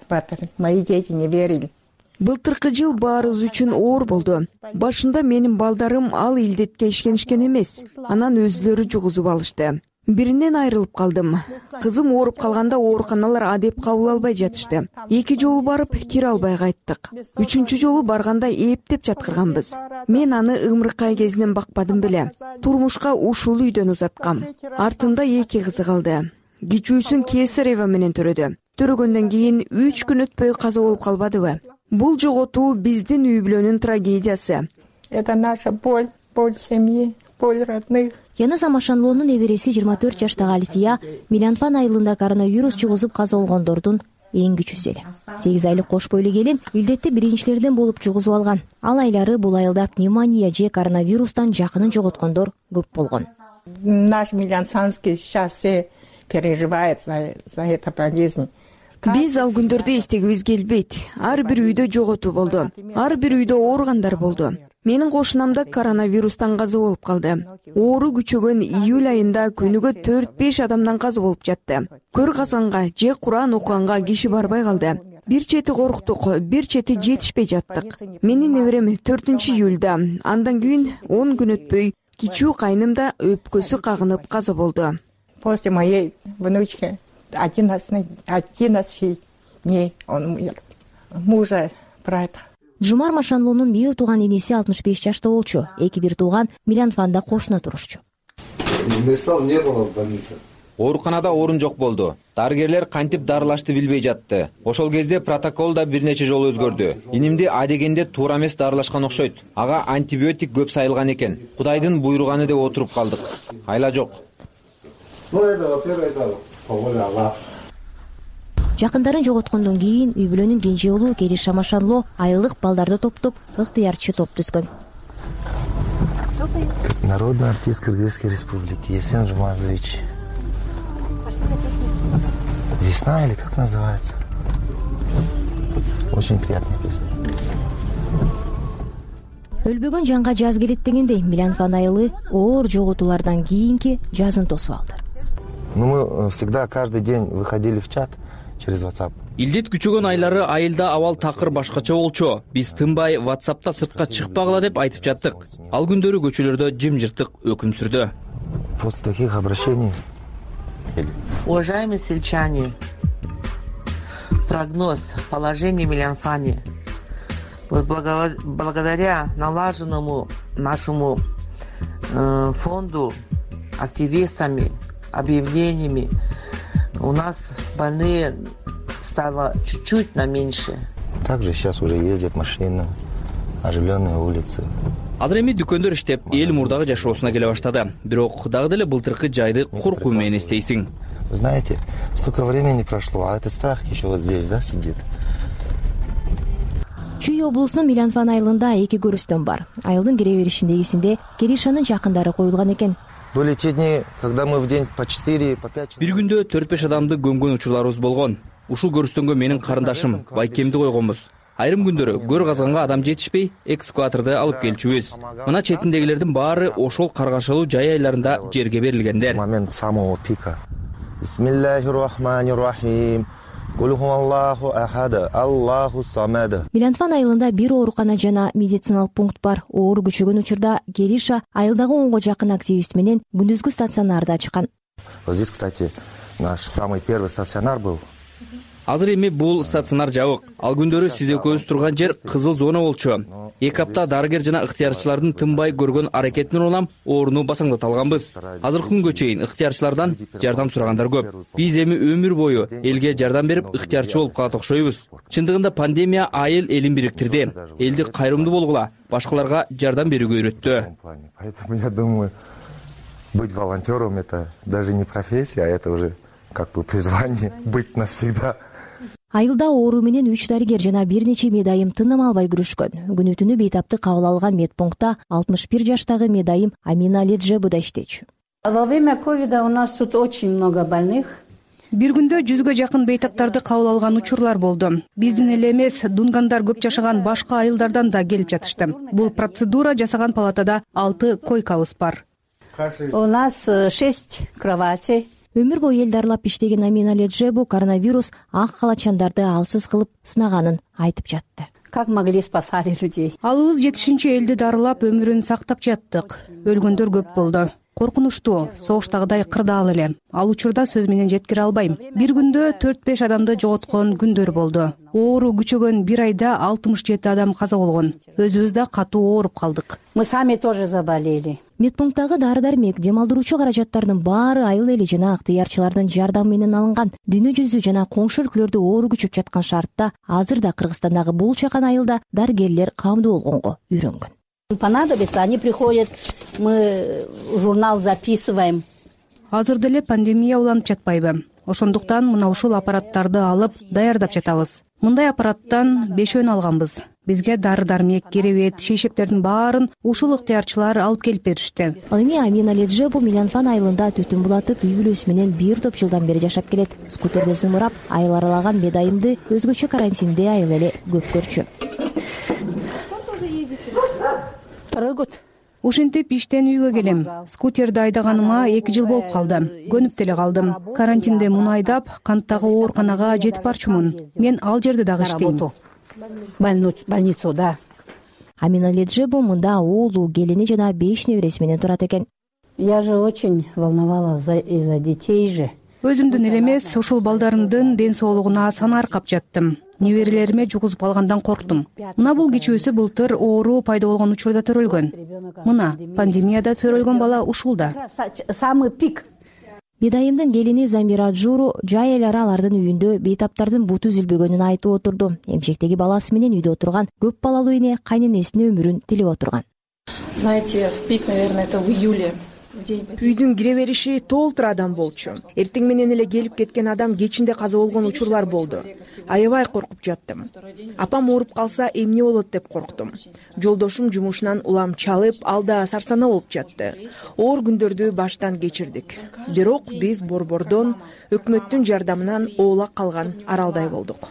мои дети не верили. Былтыркы жыл баарыбыз үчүн оор болду. Башында менин балдарым ал илдетке ишенишкен эмес. Анан өзүлөрү жугузуп алышты. Биринен айрылып калдым. Кызым ооруп калганда ооруканалар адеп кабыл албай жатышты. Эки жолу барып кире албай кайттык. Үчүнчү жолу барганда эптеп жаткырганбыз. Мен аны ымыркай кезинен бакпадым беле. Турмушка ушул үйдөн узаткам. Артында эки кызы калды. Кичүүсүн кесарева менен төрөдү. Төрөгөндөн кийин үч күн өтпөй каза болуп калбадыбы? Бул жоготуу биздин үй бүлөнүн трагедиясы. Это наша боль, боль семьи, боль родных. Яныз Амашанлоонун небереси жыйырма төрт жаштагы Альфия Меланфан айылында коронавирус жугузуп каза болгондордун эң күчүсү эле. сегиз айлык кош бойлуу келин илдетти биринчилерден болуп жугузуп алган. Ал айлары бул айылда пневмония же коронавирустан жакынын жоготкондор көп болгон. Наш Меланфанский сейчас все переживает за, за эту болезнь. Биз ал күндөрдү эстегибиз келбейт. Ар бир үйдө жоготуу болду. Ар бир үйдө ооругандар болду. Менин кошунамда коронавирустан каза болуп калды. Оору күчөгөн июль айында күнүгө төрт беш адамдан каза болуп жатты. Көр казганга же Куран окуганга киши барбай калды. Бир чети корктук, бир чети жетишпей жаттык. Менин неберем төртүнчү июлда, андан кийин он күн өтпөй кичүү кайным да өпкөсү кагынып каза болду. После моей внучки одиннадцать дней он умер. Мужа, брата. Жумар Машанлуунун бир тууган энеси алтымыш беш жашта болчу. Эки бир тууган Милянфанда кошуна турушчу. Места не было в больнице. Ооруканада орун жок болду. Дарыгерлер кантип дарылашты билбей жатты. Ошол кезде протокол да бир нече жолу өзгөрдү. Инимди адегенде туура эмес дарылашкан окшойт. Ага антибиотик көп сайылган экен. Кудайдын буйруганы деп отуруп калдык. Айла жок. Ну это, во-первых, это по воле Аллаха. Жакындарын жоготкондон кийин үй бүлөнүн кенже уулу Кериша Машанло айылдык балдарды топтоп ыктыярчы топ түзгөн. Народный артист Кыргызской республики Есен Жумазович. Весна или как называется? Очень приятная песня. Өлбөгөн жанга жаз келет дегендей Милянфан айылы оор жоготуулардан кийинки жазын тосуп алды. Ну мы всегда каждый день выходили в чат через WhatsApp. Илдет күчөгөн айлары айылда абал такыр башкача болчу. Биз тынбай WhatsApp'та сыртка чыкпагыла деп айтып жаттык. Ал күндөрү көчөлөрдө жымжыртык өкүм сүрдү. После таких обращений. Уважаемые сельчане, прогноз положения в Милянфане. Вот благодаря налаженному нашему э, фонду, активистами, объявлениями, у нас больные стало чуть-чуть на меньше. Также сейчас уже ездят машины, оживленные улицы. Азыр эми дүкөндөр иштеп, эл мурдагы жашоосуна келе баштады. Бирок дагы деле былтыркы жайды коркуу менен эстейсиң. Вы знаете, столько времени прошло, а этот страх еще вот здесь, да, сидит. Чүй облусунун Милянфан айылында эки көрүстөн бар. Айылдын кире беришиндегисинде Керишанын жакындары коюлган экен. Были те дни, когда мы в день по четыре, по пять. Бир күндө төрт беш адамды көмгөн учурларыбыз болгон. Ушул көрүстөнгө менин карындашым Байкемди койгонбуз. Айрым күндөрү көр казганга адам жетишпей, экскаваторду алып келчүбүз. Мына четиндегилердин баары ошол каргашалуу жай айларында жерге берилгендер. Момент самого пика. Бисмиллахир-рахманир-рахим. Кулхуаллаху ахад, Аллаху самад. Милянфан айылында бир оорукана жана медициналык пункт бар. Оор күчөгөн учурда Кериша айылдагы онго жакын активист менен күндүзгү стационарда ачкан. Вот здесь, кстати, наш самый первый стационар был. Азыр эми бул стационар жабык. Ал күндөрү сиз экөөбүз турган жер кызыл зона болчу. Эки апта дарыгер жана ыктыярчылардын тынбай көргөн аракетине улам орууну басаңдат алганбыз. Азыркы күнгө чейин ыктыярчылардан жардам сурагандар көп. Биз эми өмүр бою элге жардам берип ыктыярчы болуп калат окшойбуз. Чындыгында пандемия айыл элин бириктирди. Элди кайрымдуу болгула, башкаларга жардам берүүгө үйрөттү. Поэтому я думаю, быть волонтером это даже не профессия, а это уже как бы призвание быть навсегда. Айылда оору менен үч дарыгер жана бир нече медайым тыным албай күрөшкөн. Күнү түнү бейтапты кабыл алган медпунктта алтымыш бир жаштагы медайым Амина Леджебу да иштечү. Во время ковида у нас тут очень много больных. Бир күндө жүзгө жакын бейтаптарды кабыл алган учурлар болду. Биздин эле эмес, дунгандар көп жашаган башка айылдардан да келип жатышты. Бул процедура жасаган палатада алты койкабыз бар. У нас шесть кроватей. Өмүр бою эл дарылап иштеген Амина Леджебу коронавирус ак калачандарды алсыз кылып сынаганын айтып жатты. Как могли спасали людей? Алыбыз жетишинче элди дарылап өмүрүн сактап жаттык. Өлгөндөр көп болду. Коркунучтуу, согуштагыдай кырдаал эле. Ал учурда сөз менен жеткире албайм. Бир күндө төрт беш адамды жоготкон күндөр болду. Оору күчөгөн бир айда алтымыш жети адам каза болгон. Өзүбүз да катуу ооруп калдык. Мы сами тоже заболели. Медпункттагы дары-дармек, дем алдыруучу каражаттардын баары айыл эли жана ыктыярчылардын жардамы менен алынган. Дүйнө жүзү жана коңшу өлкөлөрдө оору күчүп жаткан шартта азырда Кыргызстандагы бул чакан айылда дарыгерлер камдуу болгонго үйрөнгөн. Понадобится, они приходят, мы журнал записываем. Азыр деле пандемия уланып жатпайбы? Ошондуктан мына ушул аппараттарды алып даярдап жатабыз. Мындай аппараттан бешөөнү алганбыз. Бизге дары-дармек, керебет, шейшептердин баарын ушул ыктыярчылар алып келип беришти. Ал эми Амина Леджебу Милянфан айылында түтүн булатып, үй бүлөсү менен бир топ жылдан бери жашап келет. Скутерде зымырап, айыл аралаган медайымды өзгөчө карантинде айыл эле көп көрчү. ушинтип иштен үйгө келем. Скутерди айдаганыма эки жыл болуп калды. Көнүп деле калдым. Карантинде муну айдап, канттагы ооруканага жетип барчумун. Мен ал жерде дагы иштейм. Больницада. Амина Леджебу мында уулу, келини жана беш небереси менен турат экен. Я же очень волновалась из-за детей же. Өзүмдүн эле эмес, ушул балдарымдын ден соолугуна санаар кап жаттым. Неберелериме жугузуп калгандан корктум. Мына бул кичүүсү былтыр оору пайда болгон учурда төрөлгөн. Мына пандемияда төрөлгөн бала ушул да. Самый пик. Бидайымдын келини Замира Джуру жай эле алардын үйүндө бейтаптардын буту үзүлбөгөнүн айтып отурду. Эмчектеги баласы менен үйдө отурган көп балалуу эне кайненесинин өмүрүн тилеп отурган. Знаете, в пик, наверное, это в июле. Үйдүн кире бериши толтур адам болчу. Эртең менен эле келип кеткен адам кечинде каза болгон учурлар болду. Аябай коркуп жаттым. Апам ооруп калса эмне болот деп корктум. Жолдошум жумушунан улам чалып, ал да сарсана болуп жатты. Оор күндөрдү баштан кечирдик. Бирок биз борбордон, өкмөттүн жардамынан оолак калган аралдай болдук.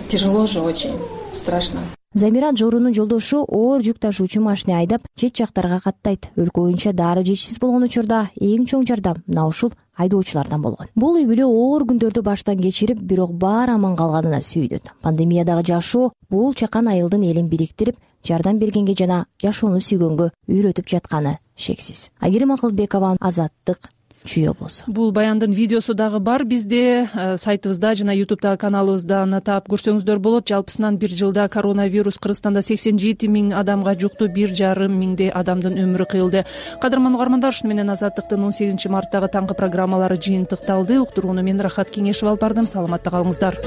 Тяжело же очень, страшно. Замира Джорунун жолдошу оор жүк ташуучу машина айдап чет жактарга каттайт. Өлкө боюнча дары жетишсиз болгон учурда эң чоң жардам мына ушул айдоочулардан болгон. Бул үй бүлө оор күндөрдү баштан кечирип, бирок баары аман калганына сүйүнөт. Пандемиядагы жашоо бул чакан айылдын элин бириктирип, жардам бергенге жана жашоону сүйгөнгө үйрөтүп жатканы шексиз. Айгерим Акылбекова, Азаттык, Чүй облусу. Бул баяндын видеосу дагы бар бизде сайтыбызда жана ютубтагы каналыбыздан таап көрсөңүздөр болот. Жалпысынан бир жылда коронавирус Кыргызстанда сексен жети миң адамга жукту, бир жарым миңдей адамдын өмүрү кыйылды. Кадырман угармандар, ушуну менен Азаттыктын он сегизинчи марттагы таңкы программалары жыйынтыкталды. Уктурууну мен Рахат Кеңешева алып бардым. Саламатта калыңыздар.